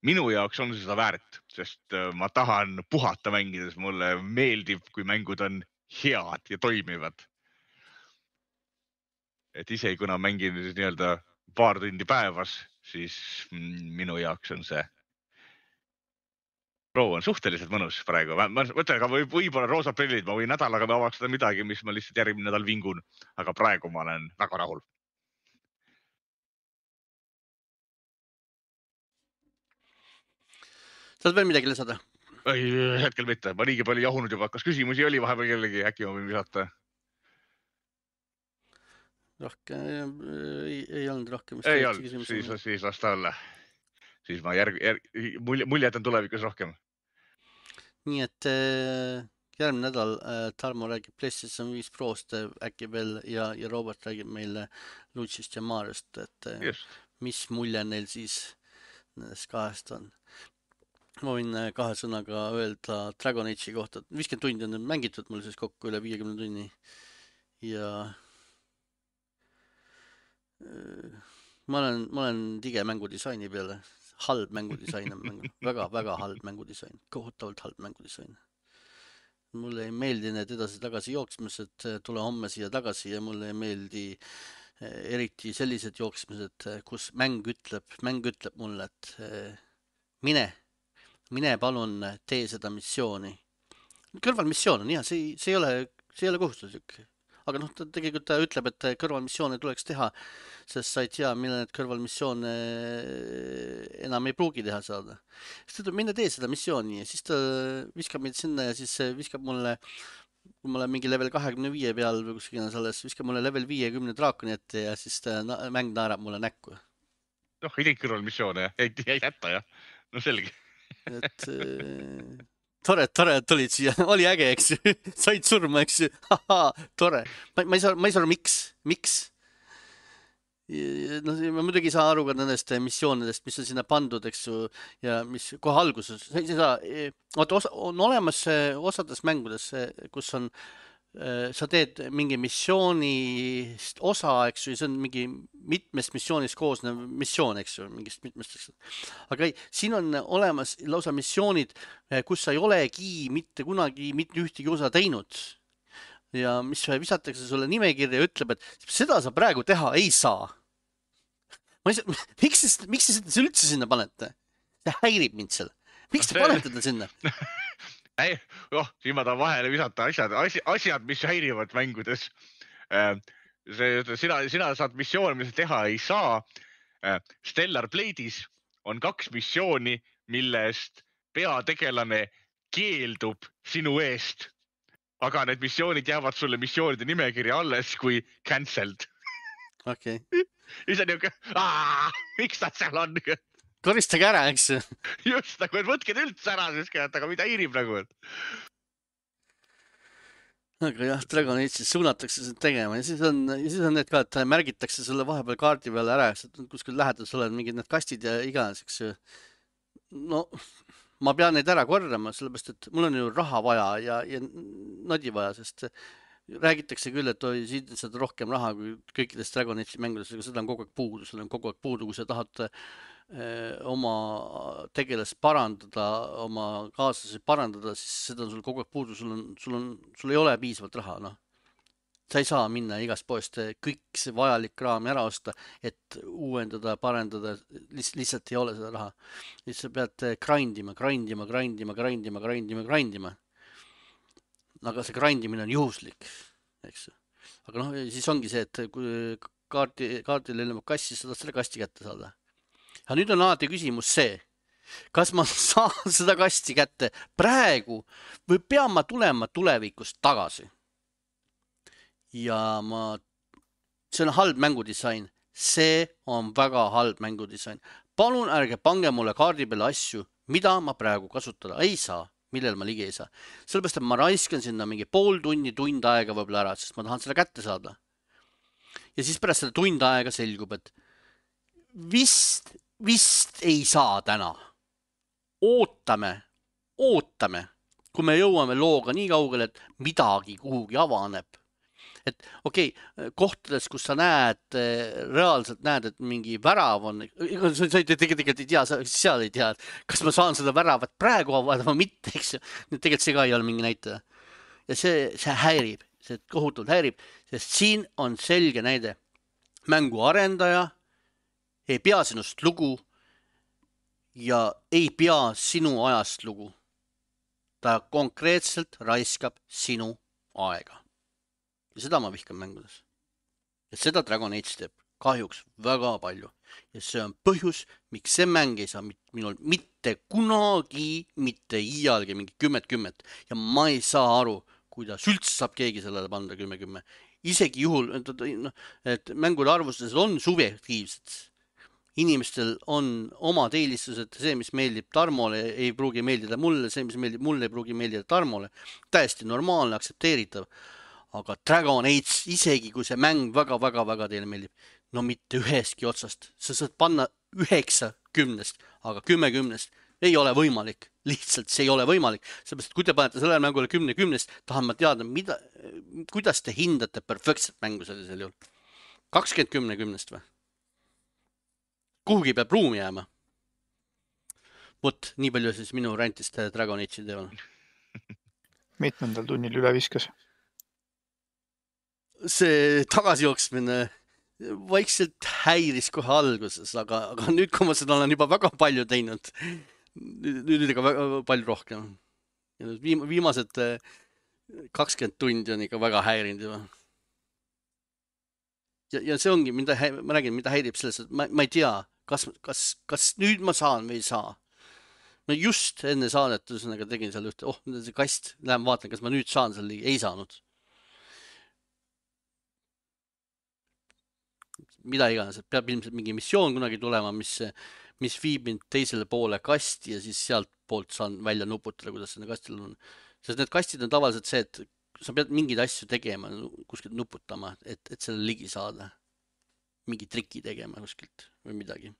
Minu jaoks on seda väärt, sest ma tahan puhata mängides. Mulle meeldib, kui mängud on head ja toimivad. Et isegi kuna mängin nii-öelda paar tundi päevas, siis minu jaoks on see Pro on suhteliselt mõnus praegu. Ma mõtlen, aga võib-olla roosad prillid, ma võin nädalaga avastada midagi, mis ma lihtsalt järgmine nädal vingun. Aga praegu ma olen väga rahul. Saad veel midagi lisada? Ei, hetkel mitte. Ma liigi palju jahunud juba. Kas küsimusi oli vahepeal kellegi? Äkki ma võin visata? Rohkem, ei, ei olnud rohkem. Ei olnud, siis, siis las ta olla. Siis ma järg, järg, mulje, mulje jätan tulevikus rohkem. Nii et äh, järgmine nädal äh, Tarmo räägib PlayStation viis Prost äkki veel ja, ja Robert räägib meile Luigist ja Mariost, et äh, mis mulje neil siis nendest kahest on. Ma võin kahe sõnaga öelda Dragon Age'i kohta. viiskümmend tundi on mängitud mul siis kokku üle viiekümne tunni. Ja ma olen, ma olen tige mängudisaini peale. Halb mängudisain on mängu. Väga, väga halb mängudisain. Kohutavalt halb mängudisain. Mulle ei meeldi need edasi-tagasi jooksmised. Tule homme siia tagasi ja mulle ei meeldi eriti sellised jooksmised, kus mäng ütleb, mäng ütleb mulle, et mine. Mine palun tee seda missiooni. Kõrvalmissioon on jah, see, see, ei ole, see ei ole kohustuslik. Aga noh, ta tegelikult ta ütleb, et kõrvalmissioone tuleks teha, sest sa ei tea, mille need kõrvalmissioone enam ei pruugi teha saada. Siis ta tuleb minna tee seda missiooni ja siis ta viskab meid sinna ja siis viskab mulle, kui ma olen mingi level kahekümne viie peal või kuskil selles, viskab mulle level viiekümne draakoni ette ja siis ta mäng naerab mulle näkku. Noh, ei teinud kõrvalmissioone, ei, ei jätta jah. No selge. et tore, tore, et tulid siia. Oli äge, eks ju. Said surma, eks ju. Haha, tore. Ma, ma ei saa, ma ei saa aru, miks, miks? No, ma muidugi ei saa aru ka nendest missioonidest, mis on sinna pandud, eks ju, ja mis kohe alguses. Sa ei saa, oota, osa, on olemas osades mängudes, kus on, sa teed mingi missioonist osa, eks ju, see on mingi mitmest missioonist koosnev missioon, eks ju, mingist mitmest. Aga ei, siin on olemas lausa missioonid, kus sa ei olegi mitte kunagi mitte ühtegi osa teinud. Ja mis visatakse sulle nimekirja ja ütleb, et seda sa praegu teha ei saa. Ma ei saa, miks, miks te seda üldse sinna panete? See häirib mind seal. Miks te panete ta sinna? Ei, oh, siin ma tahan vahele visata asjad, asjad, mis häirivad mängudes. Sina, sina saad missioon, mis teha ei saa. Stellar Blade'is on kaks missiooni, millest peategelane keeldub sinu eest. Aga need missioonid jäävad sulle missioonide nimekirja alles kui cancelled. Okei. Okay. Ja see on niuke, aah, miks nad seal on? Koristage ära, eks? Just, nagu, et võtke üldse ära, aga mida hiirib nagu? Aga jah, Dragon Age'is suunatakse seda tegema ja siis on, ja siis on need ka, et märgitakse sulle vahepeal kaardi peale ära, kuskil lähedus oled mingid need kastid ja iganes, eks ju. No, ma pean neid ära korrama, sellepärast, et mul on ju raha vaja ja, ja nodi vaja, sest räägitakse küll, et oi, siin saad rohkem raha kui kõikidest Dragon Age'i mängudest, aga seda on kogu aeg puudu, seda on kogu aeg puudu, kui sa tahad eh, oma tegelast parandada, oma kaaslasi parandada, siis seda on sul kogu aeg puudu, sul on, sul on, sul ei ole piisavalt raha, noh. Sa ei saa minna igast poest kõik see vajalik kraam ära osta, et uuendada, parendada, lihtsalt ei ole seda raha. Siis sa pead grindima, grindima, grindima, grindima, grindima, grindima. Aga see grindimine on juhuslik, eks. Aga noh, siis ongi see, et kui kaarti, kaardile ilmub kassi, sa tahad selle kasti kätte saada. Ja nüüd on alati küsimus see, kas ma saan seda kasti kätte praegu või pean ma tulema tulevikust tagasi? Ja ma, see on halb mängudisain. See on väga halb mängudisain. Palun ärge pange mulle kaardi peale asju, mida ma praegu kasutada ei saa, millel ma ligi ei saa. Sellepärast, et ma raiskan sinna mingi pool tunni, tund aega võib-olla ära, sest ma tahan seda kätte saada. Ja siis pärast seda tund aega selgub, et vist, vist ei saa täna. Ootame, ootame, kui me jõuame looga nii kaugele, et midagi kuhugi avaneb. Et okei, okay, kohtades, kus sa näed, reaalselt näed, et mingi värav on, sa tegelikult ei tea, seal ei tea, et kas ma saan seda väravat praegu avada või mitte, eks ju. Tegelikult see ka ei ole mingi näitaja. Ja see, see häirib, see kohutult häirib, sest siin on selge näide. Mängu arendaja ei pea sinust lugu ja ei pea sinu ajast lugu. Ta konkreetselt raiskab sinu aega. Ja seda ma vihkan mängudes. Ja seda Dragon Age teeb kahjuks väga palju. Ja see on põhjus, miks see mäng ei saa minul mitte kunagi, mitte iialgi mingi kümmet kümmet. Ja ma ei saa aru, kuidas üldse saab keegi sellele panda kümme kümme. Isegi juhul, et mängude arvustused on subjektiivsed. Inimestel on omad eelistused, see, mis meeldib Tarmole, ei pruugi meeldida mulle, see, mis meeldib mulle, ei pruugi meeldida Tarmole. Täiesti normaalne, aktsepteeritav. Aga Dragon Age, isegi kui see mäng väga-väga-väga teile meeldib, no mitte üheski otsast. Sa saad panna üheksa kümnest, aga kümme kümnest ei ole võimalik. Lihtsalt see ei ole võimalik. Seepärast, kui te panete sellele mängule kümne kümnest, tahan ma teada, mida, kuidas te hindate perfektset mängu sellisel juhul. kakskümmend kümne kümnest või? Kuhugi peab ruumi jääma. Vot, nii palju siis minu rantist Dragon Age'i teemal. Mitmendal tunnil üle viskas? See tagasijooksmine vaikselt häiris kohe alguses, aga, aga nüüd, kui ma seda olen juba väga palju teinud, nüüd ikka väga palju rohkem. Viim, viimased kakskümmend tundi on ikka väga häirinud juba. Ja, ja see ongi, mida, ma räägin, mida häirib selles, et ma, ma ei tea, kas, kas, kas nüüd ma saan või ei saa. Ma just enne saadet tegin seal ühte, oh, see kast, lähen vaatan, kas ma nüüd saan seal, ei saanud. mida iganes, et peab ilmselt mingi missioon kunagi tulema, mis, mis viib mind teisele poole kasti ja siis sealt poolt saan välja nuputada, kuidas sinna kastil on. Sest need kastid on tavaliselt see, et sa pead mingeid asju tegema, kuskilt nuputama, et, et selle ligi saada. Mingi triki tegema kuskilt või midagi.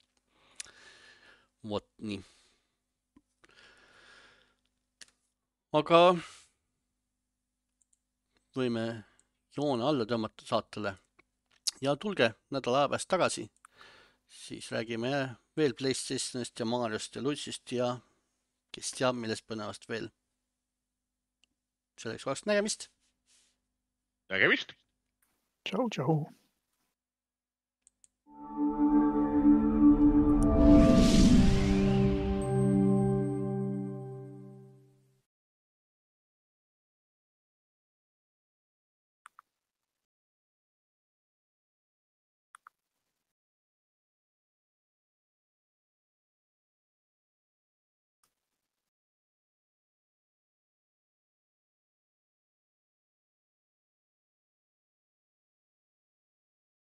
Vot nii. Aga võime joone alla tõmmata saatele ja tulge nädala aja pääst tagasi. Siis räägime veel PlayStationist ja Mariost ja Lutsist ja kes teab millest põnevast veel. Selleks vast nägemist. Nägemist. Tšau, tšau.